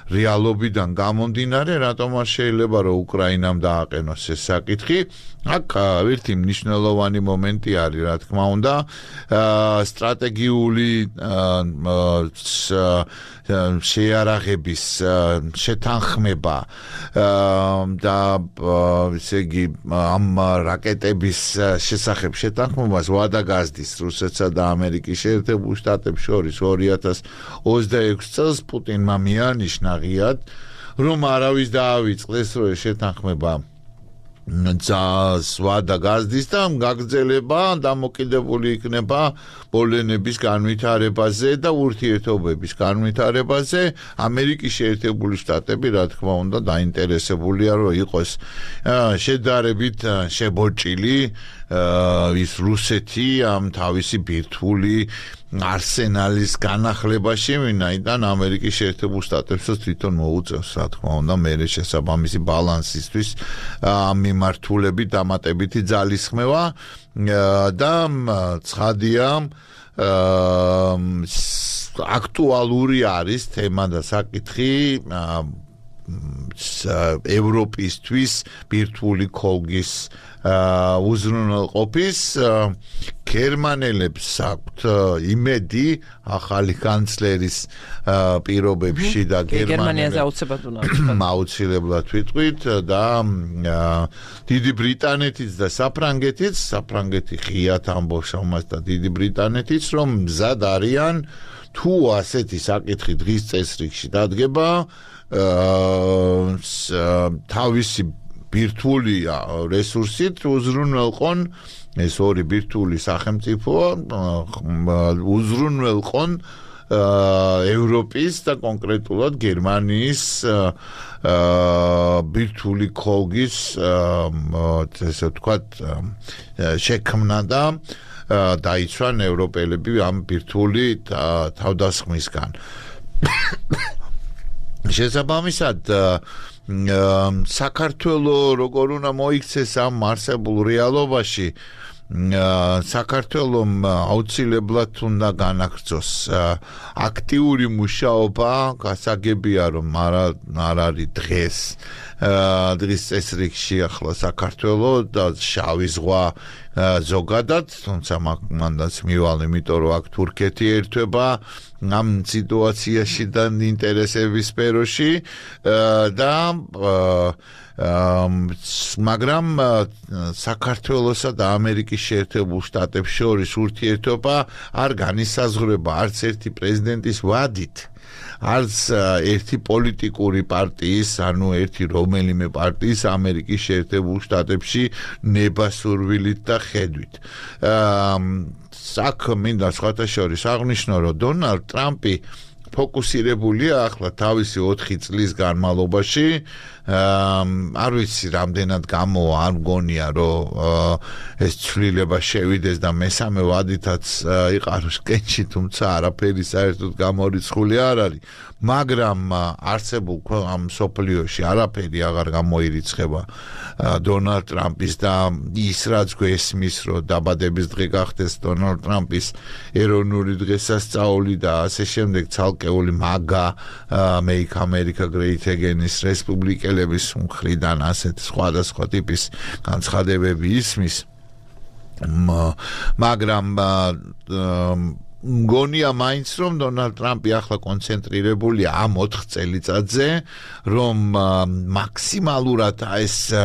რეალობიდან გამომდინარე, რატომ არ შეიძლება რომ უკრაინამ დააყენოს ეს საკითხი? აქ ერთი მნიშვნელოვანი მომენტი არის, რა თქმა უნდა, სტრატეგიული შეიარაღების შეთანხმება და ესე იგი ამ რაკეტების შესახებ შეთანხმებას ვადა გაზდის რუსეთსა და ამერიკის შეერთებულ შტატებს შორის 2026 წელს პუტინმა მიანიშნა ღიად, რომ არავის დაავიწყდეს, რომ ეს შეთანხმება ვადა გაზდის და გაგრძელება დამოკიდებული იქნება პოლონეთის განვითარებაზე და ურთიერთობების განვითარებაზე. ამერიკის შეერთებული შტატები, რა თქმა უნდა, დაინტერესებულია, რომ იყოს შედარებით შებოჭილი ის რუსეთი ამ თავისი ბირთვული არსენალის განახლებაში, ვინაიდან ამერიკის შეერთებულ შტატებსაც თვითონ მოუწევს, რა თქმა უნდა, მერე შესაბამისი ბალანსისთვის მიმართულებით დამატებითი ძალისხმევა და ცხადია აქტუალური არის თემა და საკითხი ევროპისთვის ბირთვული ქოლგის უზრუნველყოფის. გერმანელებს აქვთ იმედი ახალი კანცლერის პირობებში და გერმანიაზე აუცილებლად ვიტყვით და დიდი ბრიტანეთიც და საფრანგეთიც, საფრანგეთი ღიად ამბობს ამას და დიდი ბრიტანეთიც, რომ მზად არიან თუ ასეთი საკითხი დღის წესრიგში დადგება თავისი ბირთვული რესურსით უზრუნველყონ ეს ორი ბირთვული სახელმწიფო უზრუნველყონ ევროპის და კონკრეტულად გერმანიის ბირთვული ქოლგის ესე ვთქვათ შექმნა და დაიცვან ევროპელები ამ ბირთვული თავდასხმისგან. შესაბამისად საქართველოს როგორ უნდა მოიქცეს ამ არსებულ რეალობაში, საქართველოს აუცილებლად უნდა განაგრძოს აქტიური მუშაობა, გასაგებია რომ არ არის დღის წესრიგში ახლა საქართველოს და შავი ზღვა ზოგადად, თუმცა მანდაც მივალ, იმიტომ რომ აქ თურქეთი ერთვება ამ სიტუაციაში და ინტერესების სფეროში და მაგრამ საქართველოსა და ამერიკის შეერთებულ შტატებს შორის ურთიერთობა არ განისაზღვრება არც ერთი პრეზიდენტის ვადით, არც ერთი პოლიტიკური პარტიის, ანუ ერთი რომელიმე პარტიის ამერიკის შეერთებულ შტატებში ნებასურვილით და ხედვით. აქ მინდა სხვათა შორის აღნიშნო, რომ დონალდ ტრამპი ფოკუსირებულია ახლა თავისი 4 წლის განმავლობაში, არ ვიცი რამდენად გამოვა, არ მგონია რომ ეს ცვლილება შევიდეს და მესამე ვადითაც იყაროს კენჭი, თუმცა არაფერი საერთოდ გამორიცხული არ არის, მაგრამ არსებულ ამ სოფლიოში არაფერი აღარ გამოირიცხება დონალდ ტრამპის და ის რაც გვესმის, რომ დაბადების დღე გახდეს დონალდ ტრამპის ეროვნული დღესასწაული და ასე შემდეგ ცალკეული მაგა Make America Great Again-ის რესპუბლიკელების მხრიდან ასეთ სხვადასხვა ტიპის განცხადებები ისმის, მაგრამ მგონია მაინც რომ დონალდ ტრამპი ახლა კონცენტრირებულია ამ 4 წელიწადზე, რომ მაქსიმალურად ეს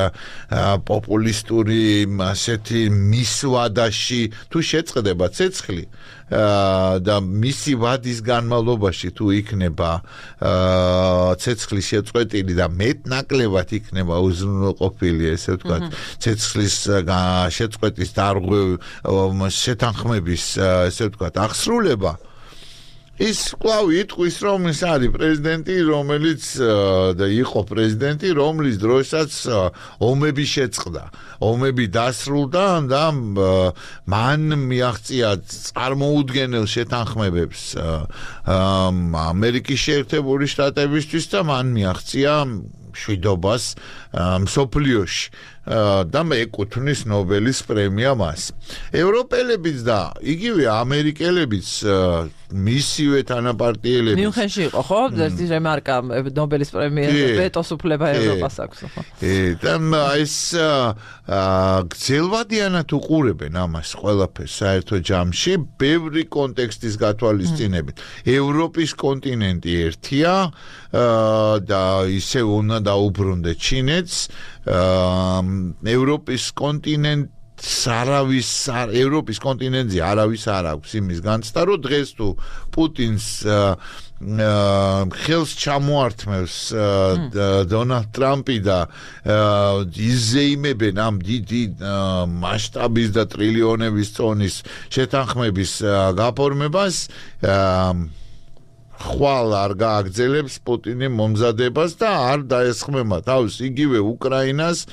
პოპულისტური ასეთი მისვადაში თუ შეწყდება ცეცხლი და მისი ვადის განმავლობაში თუ იქნება ცეცხლი შეწყვეტილი და მეტნაკლებად იქნება უზრუნველყოფილი, ესე ვთქვათ, ცეცხლის შეწყვეტის შეთანხმების, ესე ვთქვათ, აღსრულება, ის კვლავ იტყვის, რომ ის არის პრეზიდენტი, რომელიც და იყო პრეზიდენტი, რომლის დროსაც ომები შეწყდა, ომები დასრულდა და მან მიაღწია წარმოუდგენელ შეთანხმებებს ამერიკის შეერთებული შტატებისთვის და მან მიაღწია მშვიდობას მსოფლიოში და ეკუთვნის ნობელის პრემია მას. ევროპელებიც და იგივე ამერიკელებიც მისივე თანაპარტიელები. მიუნხენში იყო, ხო? ერთი რემარკა ნობელის პრემიაზე ვეტოს უფლება ევროპას აქვს, ხო? და ეს გრძელვადიანად უყურებენ ამას ყველაფერს საერთო ჯამში, ბევრი კონტექსტის გათვალისწინებით. ევროპის კონტინენტი ერთია და ისევ უნდა დაუბრუნდეთ ჩინეთს. ევროპის ევროპის კონტინენტზე არავის არ აქვს იმის განცდა, რომ დღეს თუ პუტინს ხელს ჩამოართმევს დონალდ ტრამპი და იზეიმებენ ამ დიდი მასშტაბის და ტრილიონების წონის შეთანხმების გაფორმებას ხვალ არ გააგრძელებს პუტინი მომზადებას და არ დაესხმება თავს იგივე უკრაინას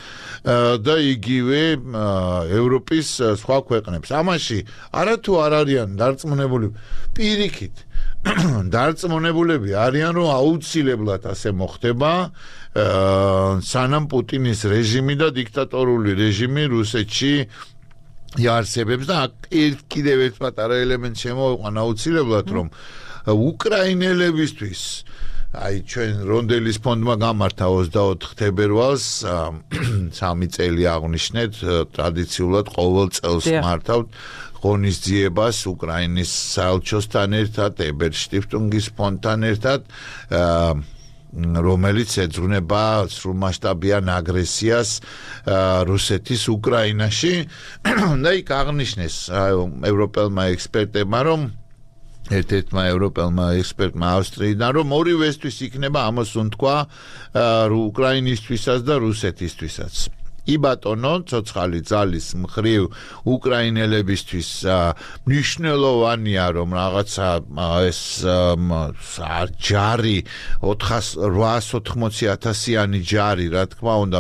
და იგივე ევროპის სხვა ქვეყნებს. ამაში არათუ არ არიან დარწმუნებული, პირიქით დარწმუნებულები არიან, რომ აუცილებლად ასე მოხდება, სანამ პუტინის რეჟიმი და დიქტატორული რეჟიმი რუსეთში იარსებებს და კიდევ ერთ პატარა ელემენტს შემოვიყვან აუცილებლად, რომ უკრაინელებისთვის ჩვენ რონდელის ფონდმა გამართა 24 თებერვალს 3 წელი აღნიშნეთ ტრადიციულად ყოველ წელს მართავთ ღონისძიებას უკრაინის საელჩოსთან ერთად, ებერშტიფტუნგის ფონდთან ერთად, რომელიც ეძღვნება სრულმასშტაბიან აგრესიას რუსეთის უკრაინაში და იქ აღნიშნეს ევროპელმა ექსპერტებმა, რომ ერთ-ერთმა ევროპელმა ექსპერტმა ავსტრიიდან, რომ ორივესთვის იქნება ამას უთქვა უკრაინისთვისაც და რუსეთისთვისაც. იბატონო, ცოცხალი ძალის მხრივ უკრაინელებისთვის მნიშვნელოვანია, რომ რაღაცა ეს ჯარი 880,000-იანი ჯარი, რა თქმა უნდა,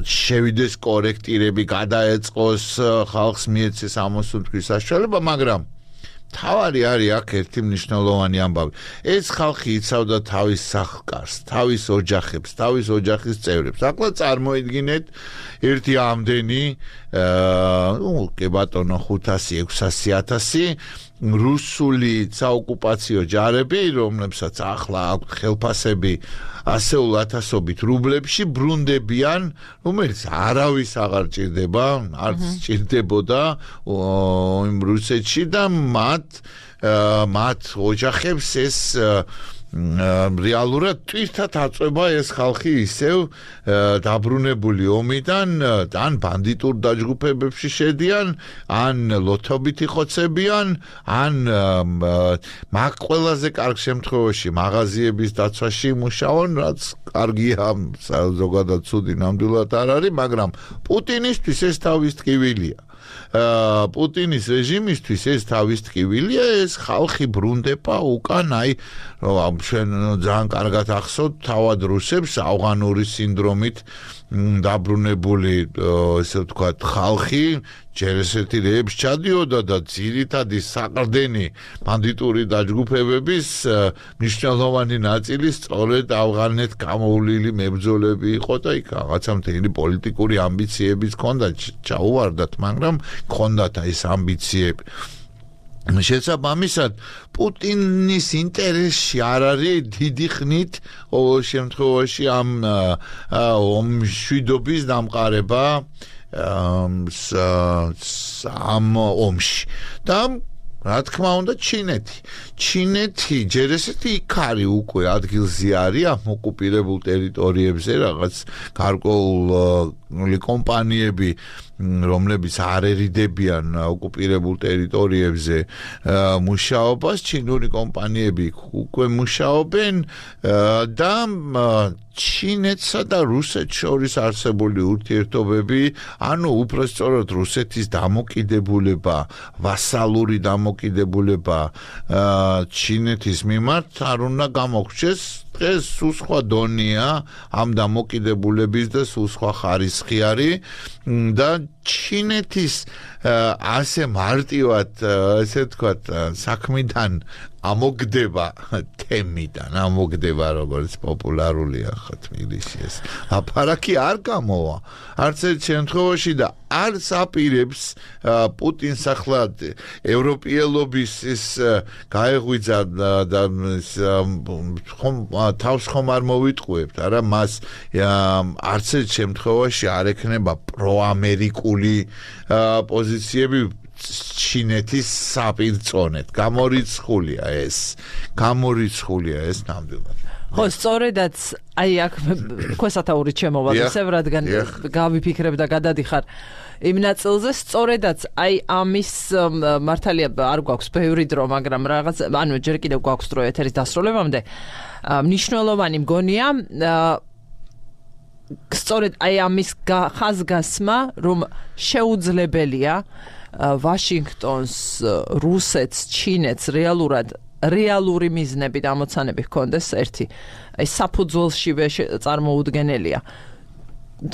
შევიდეს კორექტირები, გადაეწყოს ხალხს მიეცეს ამოსუნთქვის საშუალება, მაგრამ თავარი არის აქ ერთი მნიშვნელოვანი ამბავი. ეს ხალხი იცავდა თავის სახლ-კარს, თავის ოჯახებს, თავის ოჯახის წევრებს. ახლა წარმოიდგინეთ ერთი ამდენი, კი ბატონო 500-600,000 რუსული საოკუპაციო ჯარები, რომლებსაც ახლა აქვთ ხელფასები ასეულ ათასობით რუბლებში ბრუნდებიან, რომელიც არავის აღარ ჭირდება, არც ჭირდებოდა იმ რუსეთში და მათ ოჯახებს ეს რეალურად თვითად აწვება ეს ხალხი ისევ დაბრუნებული ომიდან, ან ბანდიტურ დაჯგუფებებში შედიან, ან ლოთობით იხოცებიან, ან მაგ ყველაზე კარგ შემთხვევაში მაღაზიების დაცვაში იმუშაონ, რაც კარგია, ზოგადად ცუდი ნამდვილად არ არის, მაგრამ პუტინისთვის ეს თავის ტკივილია. პუტინის რეჟიმისთვის ეს თავის ტკივილია, ეს ხალხი ბრუნდება უკან, რომ ძალიან კარგად ახსოვთ თავად რუსებს ავღანური სინდრომით დაბრუნებული, ესე ვთქვათ, ხალხი ჯერ ესეთი რეებს ჩადიოდა და ძირითადი საყრდენი ბანდიტური დაჯგუფებების მნიშვნელოვანი ნაწილი სწორედ ავღანეთ გამოვლილი მებრძოლები იყო და იქ რაღაცა მთელი პოლიტიკური ამბიციებიც ჰქონდათ, ჩაუვარდათ, მაგრამ ჰქონდათ ეს ამბიციები. შესაბამისად, პუტინის ინტერესში არ არის დიდი ხნით ყოველ შემთხვევაში ამ მშვიდობის დამყარება ამ ომში. და რა თქმა უნდა ჩინეთი ჯერ ესეთი იქ არის უკვე ადგილზე არის ამ ოკუპირებულ ტერიტორიებზე რაღაც გარკვეული კომპანიები, რომლებიც არ ერიდებიან ოკუპირებულ ტერიტორიებზე მუშაობას, ჩინური კომპანიები უკვე მუშაობენ და ჩინეთსა და რუსეთს შორის არსებული ურთიერთობები, ანუ უпроსწორად რუსეთის დამოკიდებულება, ვასალური დამოკიდებულება ჩინეთის მიმართ არ უნდა გამოგვჩეს. დღეს სულ სხვა დონეა ამ დამოკიდებულების და სულ სხვა ხარისხი არის და ჩინეთის ასე მარტივად, ესე ვთქვათ, საქმიდან ამოგდება თემიდან, ამოგდება როგორც პოპულარულია ხა თბილისში ეს. ლაპარაკი არ გამოვა. არც ერთ შემთხვევაში და არც აპირებს პუტინს ახლა ევროპელობის ის გაეღვიძა და თავს ხომ არ მოვიტყუებთ, არა მას არც ერთ შემთხვევაში არ ექნება პროამერიკული პოზიციები ჩინეთის საპირწონეთ. გამორიცხულია ეს ნამდვილად. ხო, სწორედაც აი აქ ქვესათაურით შემოვალ ისევ, რადგან გავიფიქრებ და გადადიხარ იმ ნაწილზე, სწორედაც აი ამის მართალია არ გვაქვს ბევრი დრო, მაგრამ რაღაც ანუ ჯერ კიდევ გვაქვს დრო ეთერის დასრულებამდე. მნიშვნელოვანი მგონია სწორედ აი ამის ხაზგასმა, რომ შეუძლებელია ვაშინგტონს, რუსეთს, ჩინეთს რეალური მიზნები და ამოცანები ჰქონდეს ერთი. აი საფუძველშივე წარმოუდგენელია.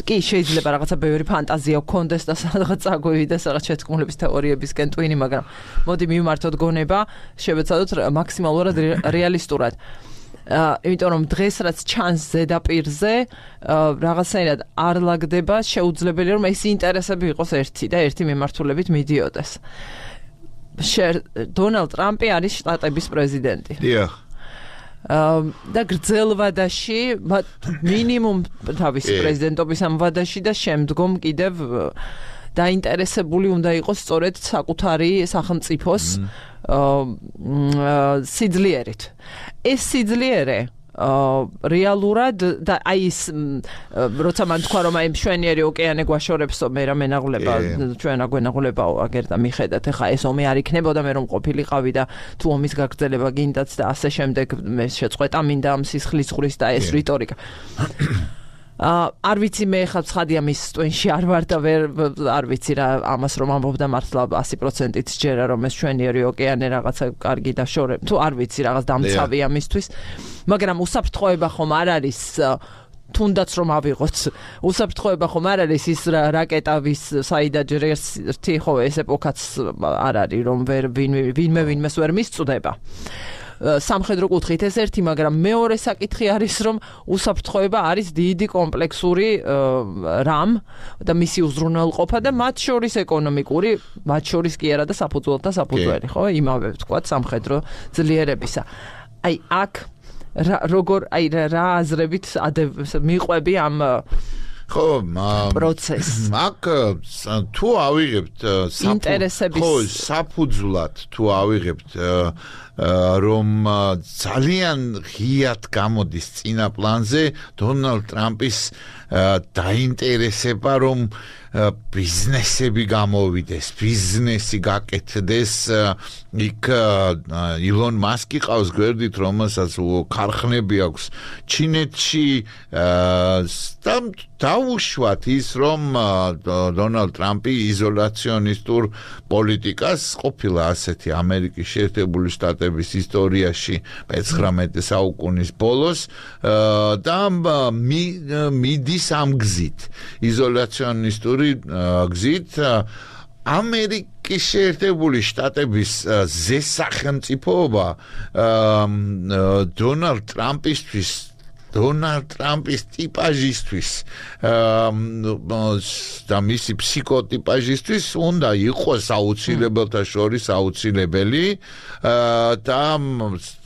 კი შეიძლება რაღაცა ბევრი ფანტაზია ჰქონდეს და სადღაც აგვივიდეს რაღაც შეთქმულების თეორიებისკენ ტვინი, მაგრამ მოდი მივმართოთ გონება, შევეცადოთ მაქსიმალურად რეალისტურად. იმიტომ რომ დღეს რაც ჩანს ზედაპირზე რაღაცნაირად არ ლაგდება, შეუძლებელია რომ ეს ინტერესები იყოს ერთი და ერთი მიმართულებით მიდიოდეს. დონალდ ტრამპი არის შტატების პრეზიდენტი. დიახ. და გრძელ ვადაში, მინიმუმ თავისი პრეზიდენტობის ამ ვადაში და შემდგომ კიდევ დაინტერესებული უნდა იყოს სწორედ საკუთარი სახელმწიფოს სიძლიერით. ეს სიძლიერე რეალურად და აი ის როცა მან თქვა რომ აი მშვენიერი ოკეანე გვაშორებსო მე რა მენაღვლება ჩვენ აგვენაღვლებაო აგერ და მიხედათ ეხა ეს ომი არ იქნებოდა მე რომ ყოფილიყავი და თუ ომის გაგრძელება გინდათ და ასე შემდეგ მე შეწყვეტა მინდა ამ სისხლის ზღვრის და ეს რიტორიკა არ ვიცი მე ხა ცხადია მის ტვენში არ ვარ და არ ვიცი რა ამას რომ ამბობდა მართლა 100%-ით ჯერა რომ ეს ჩვენიერი ოკეანე რაღაცა კარგი და შორე თუ არ ვიცი რაღაც დამცავია მისთვის მაგრამ უსაფრთხოება ხომ არ არის თუნდაც რომ ავიღოთ უსაფრთხოება ხომ არ არის ის რაკეტავის საიდაც ერთი ხო ეს ეპოქაც არ არის რომ ვინმეს ვერ მისწვდება სამხედრო კუთხით ეს ერთი, მაგრამ მეორე საკითხი არის, რომ უსაფრთხოება არის დიდი კომპლექსური რამ და მისი უზრუნველყოფა და მათ შორის ეკონომიკური, მათ შორის კი არა და საფუძველთა საფუძველი, ხო? იმავე ვთქვათ სამხედრო ძლიერებისა. აი აქ როგორ აი რა აზრებით მიყვები ამ ხო, პროცესს. აქ თუ ავიღებთ საფუძვლად თუ ავიღებთ რომ ძალიან ღიად გამოდის წინა პლანზე დონალდ ტრამპის დაინტერესება რომ ბიზნესები გამოვიდეს, ბიზნესი გაკეთდეს იქ ილონ მასკი ყავს გვერდით, რომელსაც ქარხნები აქვს ჩინეთში დაუშვათ ის რომ დონალდ ტრამპი იზოლაციონისტურ პოლიტიკას ყოფილა ასეთი ამერიკის შეერთებული შტატების ისტორიაში 19 საუკუნის ბოლოს და მიდის ამ გზით იზოლაციონისტური გზით ამერიკის შეერთებული შტატების ზესახელმწიფოობა დონალდ ტრამპის ტიპაჟისთვის და მისი ფსიქოტიპაჟისთვის უნდა იყოს აუცილებელთა შორის აუცილებელი და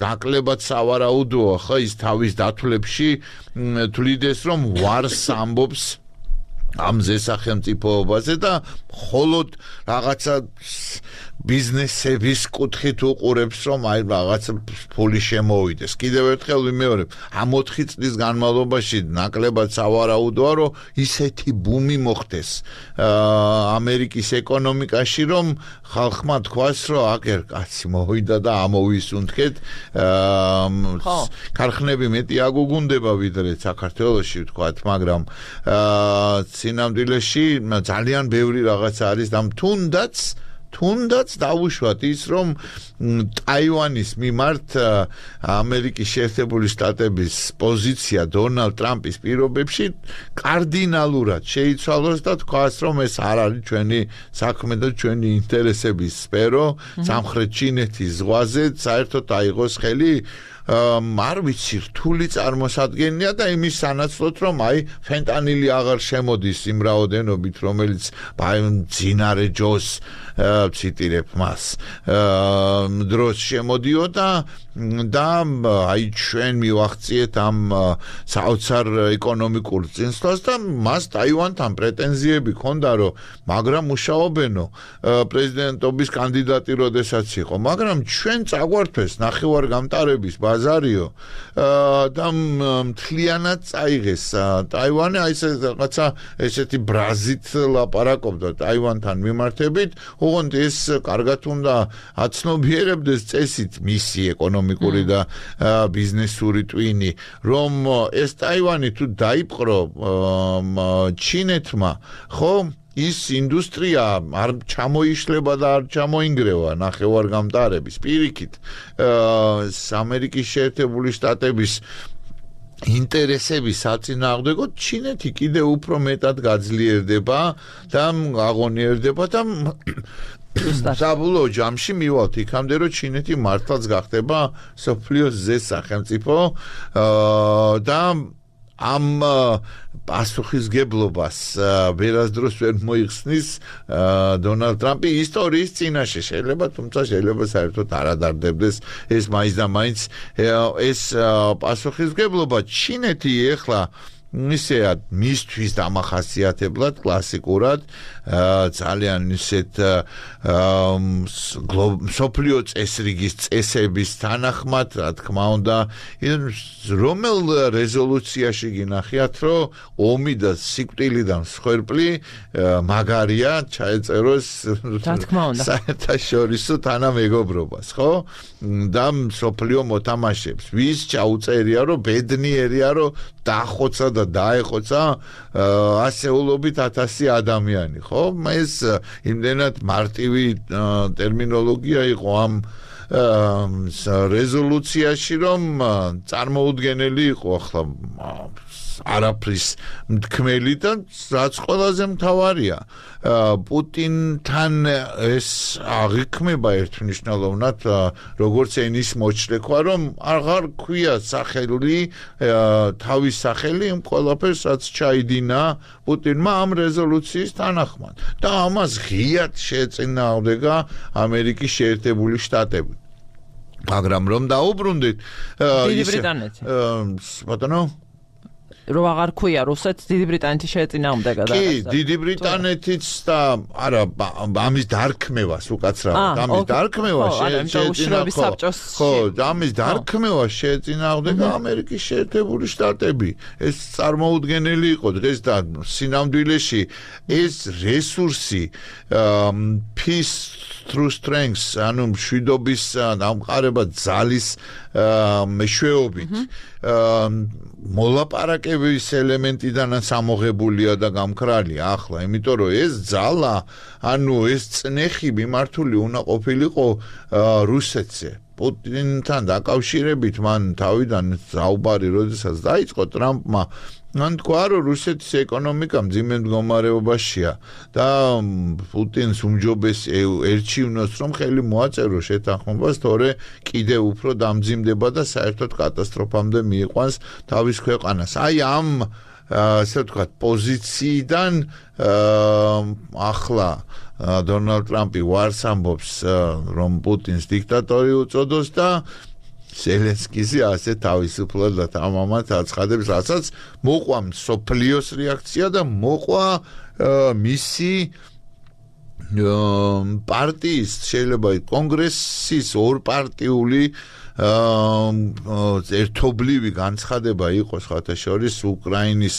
ნაკლებად სავარაუდოა ხო ის თავის დათვლებში თვლიდეს რომ ვარს ამბობს ამ ზესახელმწიფოობაზე და მხოლოდ რაღაცა ბიზნესების კუთხით უყურებს რომ აი რაღაც ფული შემოვიდეს. კიდევ ერთხელ ვიმეორებ, ამ 4 წლის განმავლობაში ნაკლებად სავარაუდოა რომ ისეთი ბუმი მოხდეს ამერიკის ეკონომიკაში რომ ხალხმა თქვას რომ აგერ კაცი მოვიდა და ამოვისუნთქეთ ქარხნები მეტი აგუგუნდება ვიდრე საქართველოში ვთქვათ, მაგრამ სინამდვილეში ძალიან ბევრი რაღაც არის და თუნდაც თუნდაც დავუშვათ ის რომ ტაივანის მიმართ ამერიკის შეერთებული შტატების პოზიცია დონალდ ტრამპის პირობებში კარდინალურად შეიცვალოს და თქვას რომ ეს არ არის ჩვენი საქმე და ჩვენი ინტერესების სფერო სამხრეთ ჩინეთის ზღვაზე საერთოდ აიღოს ხელი არ ვიცი რთული წარმოსადგენია და იმის სანაცვლოდ რომ ფენტანილი აღარ შემოდის იმ რაოდენობით რომელიც მძინარე ჯოს ციტირებ მას დროს შემოდიოდა და ჩვენ მივახციეთ ამ საოცარ ეკონომიკურ წინსვლას და მას ტაივანთან პრეტენზიები ჰქონდა რომ მაგრამ მუშაობენო პრეზიდენტობის კანდიდატი როდესაც იყო მაგრამ ჩვენ წაგვართვეს ნახევარგამტარების ბაზარიო და მთლიანად წაიღეს ტაივანი რაღაცა ესეთი ბრაზით ლაპარაკობდა ტაივანთან მიმართებით ოღონდ ეს კარგად უნდა აცნობიერებდეს წესით მისი ეკონომიკური და ბიზნესური ტვინი რომ ეს ტაივანი თუ დაიპყრო ჩინეთმა ხო ის ინდუსტრია არ ჩამოიშლება და არ ჩამოინგრევა ნახევარგამტარების პირიქით ამერიკის შეერთებული შტატების ინტერესების საწინააღმდეგოდ ჩინეთი კიდევ უფრო მეტად გაძლიერდება და აღონიერდება და საბოლოო ჯამში მივალთ იქამდე რომ ჩინეთი მართლაც გახდება სოფლიოს ზეს სახელმწიფო და ამ პასუხისგებლობას ვერასდროს ვერ მოიხსნის დონალდ ტრამპი ისტორიის წინაშე შეიძლება თუმცა შეიძლება საერთოდ არ ადარდებდეს ეს მაინც და მაინც ეს პასუხისგებლობა ჩინეთი ეხლა ისეა მისთვის დამახასიათებლად კლასიკურად ძალიან ისეთ სოფლიო წესრიგის წესების თანახმად რა თქმა უნდა რომელ რეზოლუციაში გინახიათ რომ ომი და სიკვდილიდან მსხვერპლი მაგარია ჩაეწეროს საერთაშორისო თანამეგობრობას ხო და სოფლიო მოთამაშეებს ვის ჩაუწერია რომ ბედნიერია რომ დახოცა და დაეხოცა ასეულობით 1000 ადამიანი ხო ეს იმდენად მარტივი ტერმინოლოგია იყო ამ რეზოლუციაში რომ წარმოუდგენელი იყო ახლა არაფრის მთქმელი და რაც ყველაზე მთავარია პუტინთან ეს აღიქმება ერთმნიშვნელოვნად როგორც ენის მოჩლექვა რომ აღარ ქვია სახელი თავის სახელი იმ ყველაფერს რაც ჩაიდინა პუტინმა ამ რეზოლუციის თანახმად და ამას ღიად შეეწინააღმდეგა ამერიკის შეერთებული შტატები მაგრამ რომ დაუბრუნდით დიდი ბრიტანეთი ბატონო რომ აღარ ქვია რუსეთს დიდი ბრიტანეთი შეეწინააღმდეგა და კი დიდი ბრიტანეთიც და არა ამის დარქმევას უკაცრავად ამის დარქმევას შეეწინააღმდეგა ხო ამის დარქმევას შეეწინააღმდეგა ამერიკის შეერთებული შტატები ეს წარმოუდგენელი იყო დღეს და სინამდვილეში ეს რესურსი peace through strength ანუ მშვიდობის დამყარება ძალის მეშვეობით მოლაპარაკების ელემენტიდანაც ამოღებულია და გამქრალია ახლა იმიტომ რომ ეს ძალა ანუ ეს წნეხი მიმართული უნდა ყოფილიყო რუსეთზე პუტინთან დაკავშირებით მან თავიდან საუბარი როდესაც დაიწყო ტრამპმა მან თქვა რომ რუსეთის ეკონომიკა მძიმე მდგომარეობაშია და პუტინს უმჯობეს ერჩივნოს რომ ხელი მოაწეროს შეთანხმებას თორე კიდევ უფრო დამძიმდება და საერთოდ კატასტროფამდე მიიყვანს თავის ქვეყანას აი ამ ასე ვთქვათ პოზიციიდან ახლა დონალდ ტრამპი ვარს ამბობს რომ პუტინს დიქტატორი უწოდოს და ზელენსკიზე ასე თავისუფლად და თამამად აცხადებს, რასაც მოყვა სოფლიოს რეაქცია და მოყვა მისი პარტიის შეიძლება კონგრესის ორპარტიული ერთობლივი განცხადება იყოს ხათაშორის უკრაინის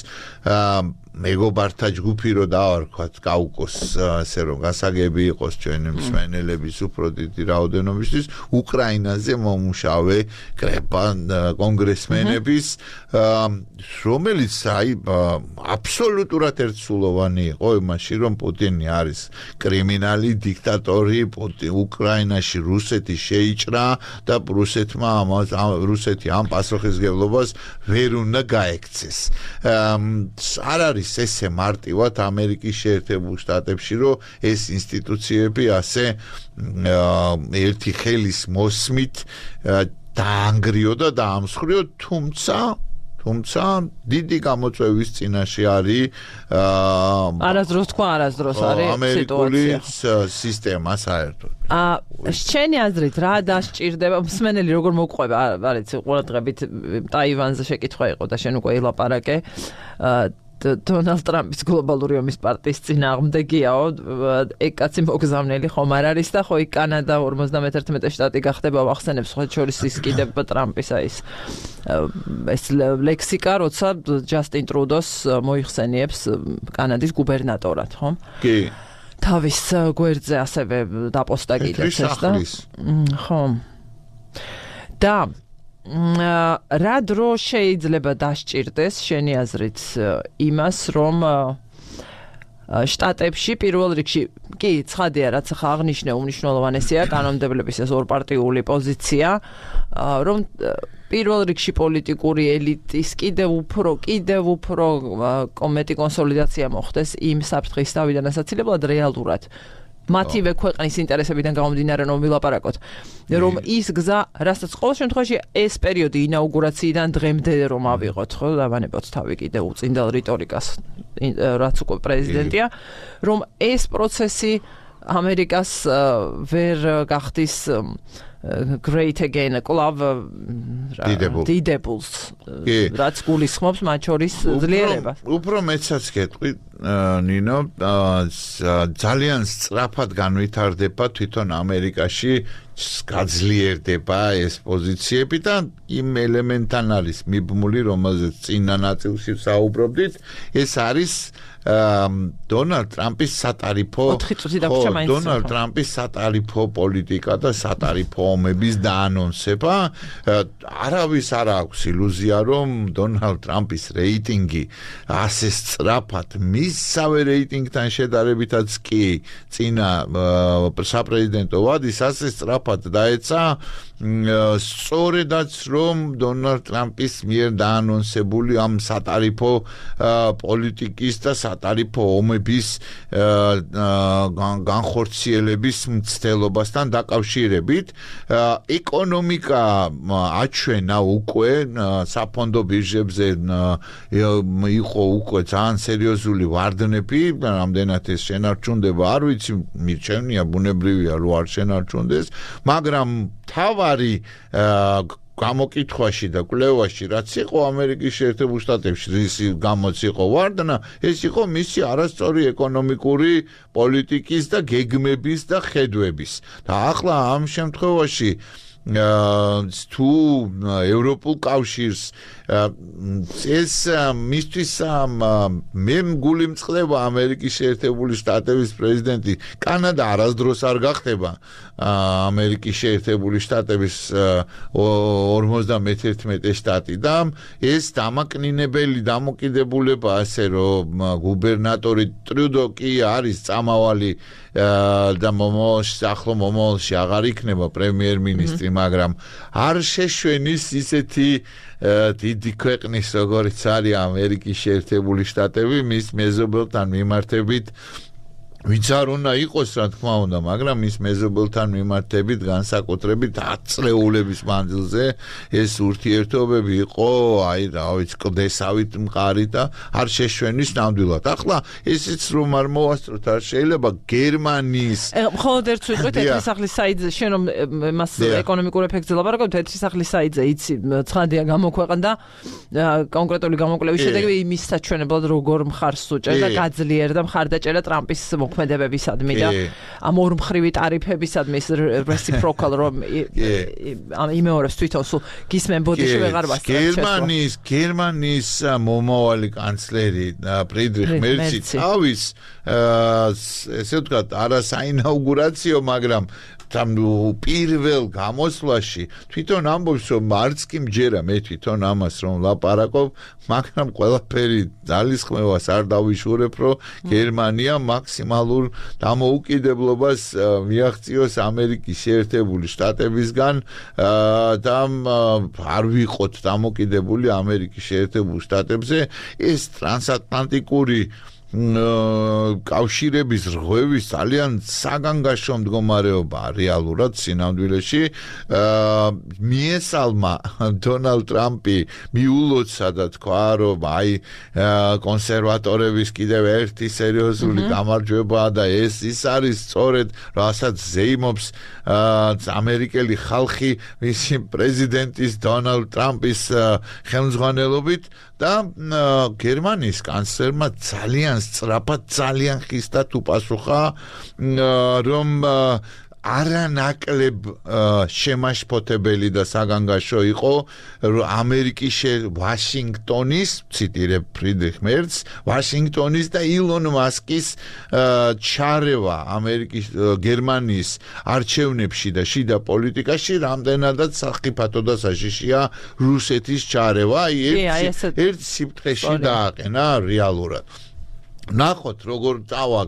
მეგობართა ჯგუფი რო დავარქვათ კაუკოს ასე რომ გასაგები იყოს ჩვენი მსმენელების უფრო დიდი რაოდენობისთვის უკრაინაზე მომუშავე კონგრესმენების რომელიც აბსოლუტურად ერთსულოვანი იყო იმაში რომ პუტინი არის კრიმინალი დიქტატორი უკრაინაში რუსეთი შეიჭრა და რუსეთი ამ პასუხისმგებლობას ვერ უნდა გაექცეს არ არის ესე მარტივად ამერიკის შეერთებულ შტატებში რომ ეს ინსტიტუციები ასე ერთი ხელის მოსმით დაანგრიო და დაამსხვრიო თუმცა დიდი გამოწვევის წინაშე არის არასდროს თქვა არასდროს არის ამერიკული სისტემა საერთოდ შენი აზრით რა დასჭირდება მსმენელი როგორ მოყვება არ იცი ყურადღებით ტაივანზე შეკითხვა იყო და შენ უკვე ილაპარაკე დონალდ ტრამპის გლობალური ომის პარტიის წინააღმდეგიაო ეკაცი მოგზავნელი ხომ არ არის და ხო იქ კანადა 51 შტატი გახდება ვახსენებს ხო შორის ის კიდევ ტრამპისა ეს ლექსიკა როცა ჯასტინ ტრუდოს მოიხსენიებს კანადის გუბერნატორად ხო კი თავის გვერდზე ასევე დაპოსტა კიდეც ეს და ხო და რა დრო შეიძლება დასჭირდეს შენი აზრით იმას რომ შტატებში პირველ რიგში კი ცხადია რაც ახლა აღნიშნე უმნიშვნელოვანესია კანონმდებლების ეს ორპარტიული პოზიცია რომ პირველ რიგში პოლიტიკური ელიტის კიდევ უფრო კომეტი კონსოლიდაცია მოხდეს იმ საფრთხის თავიდან ასაცილებლად რეალურად მათივე ქვეყნის ინტერესებიდან გამომდინარე რომ ვილაპარაკოთ რომ ის გზა რასაც ყოველ შემთხვევაში ეს პერიოდი ინაუგურაციიდან დღემდე რომ ავიღოთ ხო დავანებოთ თავი კიდე უწინდელ რიტორიკას რაც უკვე პრეზიდენტია რომ ეს პროცესი ამერიკას ვერ გახდის great again კლავ დიდებულს რაც გულისხმობს მათ შორის ძლიერებას უფრო მეცაც გეტყვი ნინო ძალიან სწრაფად განვითარდება თვითონ ამერიკაში გაძლიერდება ეს პოზიციები და იმ ელემენტთან არის მიბმული რომელზეც წინა ნაწილში საუბრობდით ეს არის დონალდ ტრამპის სატარიფო დონალდ ტრამპის სატარიფო პოლიტიკა და სატარიფო ომების დაანონსება არავის არ აქვს ილუზია რომ დონალდ ტრამპის რეიტინგი ასე სწრაფად მისსავე რეიტინგთან შედარებითაც კი წინა საპრეზიდენტო ვადის ასე სწრაფად დაეცა სწორედაც რომ დონალდ ტრამპის მიერ დაანონსებული ამ სატარიფო პოლიტიკის და სატარიფო ომების განხორციელების მცდელობასთან დაკავშირებით ეკონომიკა აჩვენა უკვე საფონდო ბირჟებზე იყო უკვე ძალიან სერიოზული ვარდნები რამდენად ეს შენარჩუნდება არ ვიცი მირჩევნია ბუნებრივია რომ არ შენარჩუნდეს მაგრამ თავარი გამოკითხვაში და კვლევაში რაც იყო ამერიკის შეერთებულ შტატებში ისი გამოც იყო ვარდნა ეს იყო მისი არასწორი ეკონომიკური პოლიტიკის და გეგმების და ხედვების და ახლა ამ შემთხვევაში თუ ევროპულ კავშირს ეს მისთვის მე მგული მწყდება ამერიკის შეერთებული შტატების პრეზიდენტი კანადა არასდროს არ გახდება ამერიკის შეერთებული შტატების 51 შტატი და ეს დამაკნინებელი დამოკიდებულება ასე რომ გუბერნატორი ტრუდო კი არის წამავალი და ახლო მომავალში აღარ იქნება პრემიერ-მინისტრი მაგრამ არ შეშვენის ისეთი დიდი ქვეყნის როგორიც არის ამერიკის შეერთებული შტატები მის მეზობელთან მიმართებით ვინც არ უნდა იყოს რა თქმა უნდა მაგრამ მის მეზობელთან მიმართებით განსაკუთრებით 10 წლეულების მანძილზე ეს ურთიერთობები იყო აი რა ვიცი კლდესავით მყარი და არ შეშვენის ნამდვილად ახლა ესეც რომ არ მოვასწროთ არ შეიძლება გერმანიის მხოლოდ ერთ ვიტყვით ერთი სახლის საიტზე შენ რომ მას ეკონომიკურ ეფექტზე ლაპარაკობთ ერთი სახლის საიტზე იცი ცხადია გამოქვეყნდა კონკრეტული გამოკვლევის შედეგი იმის საჩვენებლად როგორ მხარს უჭერდა და გაძლიერდა მხარდაჭერა ტრამპის ზემოქმედებებისადმი და ამ ორმხრივი ტარიფებისადმი reciprocal რომ იმეორებს თვითონ სულ გისმენ ბოდიში ვეღარ ვასწრებ გერმანიის მომავალი კანცლერი ფრიდრიხ მერცი თავის ესე ვთქვათ არა საინაუგურაციო მაგრამ პირველ გამოსვლაში თვითონ ამბობს რომ არც კი მჯერა მე თვითონ ამას რომ ლაპარაკობ მაგრამ ყველაფერი ძალისხმევას არ დავიშურებ რომ გერმანია მაქსიმალურ დამოუკიდებლობას მიაღწიოს ამერიკის შეერთებული შტატებისგან და არ ვიყოთ დამოკიდებული ამერიკის შეერთებულ შტატებზე ეს ტრანსატლანტიკური კავშირების რღვევის ძალიან საგანგაშო მდგომარეობა რეალურად სინამდვილეში მიესალმა დონალდ ტრამპი მიულოცა და თქვა რომ აი კონსერვატორების კიდევ ერთი სერიოზული გამარჯვებაა და ეს ის არის სწორედ რასაც ზეიმობს ამერიკელი ხალხი მისი პრეზიდენტის დონალდ ტრამპის ხელმძღვანელობით და გერმანიის კანცლერმა ძალიან სწრაფად ძალიან ხისტად უპასუხა რომ არანაკლებ შემაშფოთებელი და საგანგაშო იყო ამერიკის ვაშინგტონის ციტირებ ფრიდრიხ მერცს ვაშინგტონის და ილონ მასკის ჩარევა ამერიკის გერმანიის არჩევნებში და შიდა პოლიტიკაში რამდენადაც სახიფათო და საშიშია რუსეთის ჩარევა ერთ სიფრთხეში დააყენა რეალურად ნახოთ როგორ წავა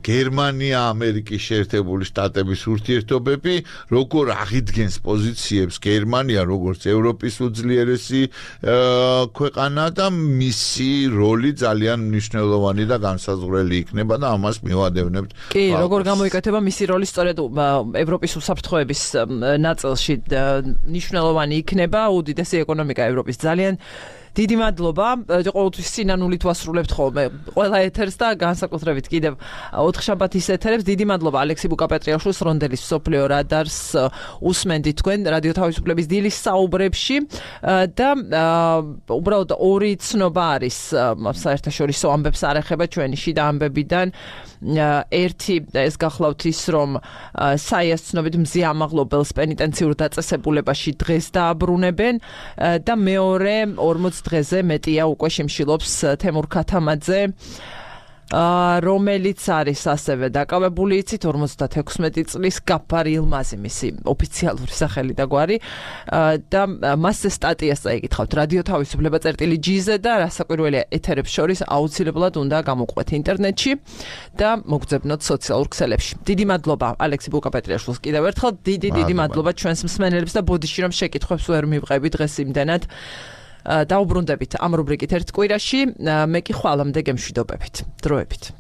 გერმანია ამერიკის შეერთებული შტატების ურთიერთობები როგორ აღიდგენს პოზიციებს გერმანია როგორც ევროპის უძლიერესი ქვეყანა და მისი როლი ძალიან მნიშვნელოვანი და განსაზღვრელი იქნება და ამას მივადევნებთ კი როგორ გამოიკეთება მისი როლი სწორედ ევროპის უსაფრთხოების ნაწილში მნიშვნელოვანი იქნება უდიდესი ეკონომიკა ევროპის ძალიან დიდი მადლობა ყოველთვის სინანულით ვასრულებთ ხოლმე ყველა ეთერს და განსაკუთრებით კიდევ 4 შაბათის ეთერებს დიდი მადლობა ალექსი ბუკაპეტრიაშვილს რონდელის სოფლიო რადარს უსმენდით თქვენ რადიო თავისუფლების დილის საუბრებში და უბრალოდ ორი ცნობა არის საერთაშორისო ამბებს არ ეხება ჩვენი შიდა ამბებიდან ერთი ეს გახლავთ ის რომ საიას ცნობით მზე ამაღლობელს პენიტენციურ დაწესებულებაში დღეს დააბრუნებენ და მეორე 40 დღეზე მეტია უკვე შემშილობს თემურ ქათამაძე რომელიც არის ასევე დაკავებული იცით 56 წლის გაფარ ილმაზი მისი ოფიციალური სახელი და გვარი და მასზე სტატიას წაიკითხავთ რადიო თავისუფლება წერტილი.gz-ზე და რასაკვირველია ეთერებს შორის აუცილებლად უნდა გამოყვეთ ინტერნეტში და მოგძებნოთ სოციალურ ქსელებში დიდი მადლობა ალექსი ბუკაპეტრიაშვილს კიდევ ერთხელ დიდი მადლობა ჩვენს მსმენელებს და ბოდიში რომ შეკითხვებს ვერ მივყევით დღეს იმდენად დაუბრუნდებით ამ რუბრიკით ერთ კვირაში მე კი ხვალამდე გემშვიდობებით დროებით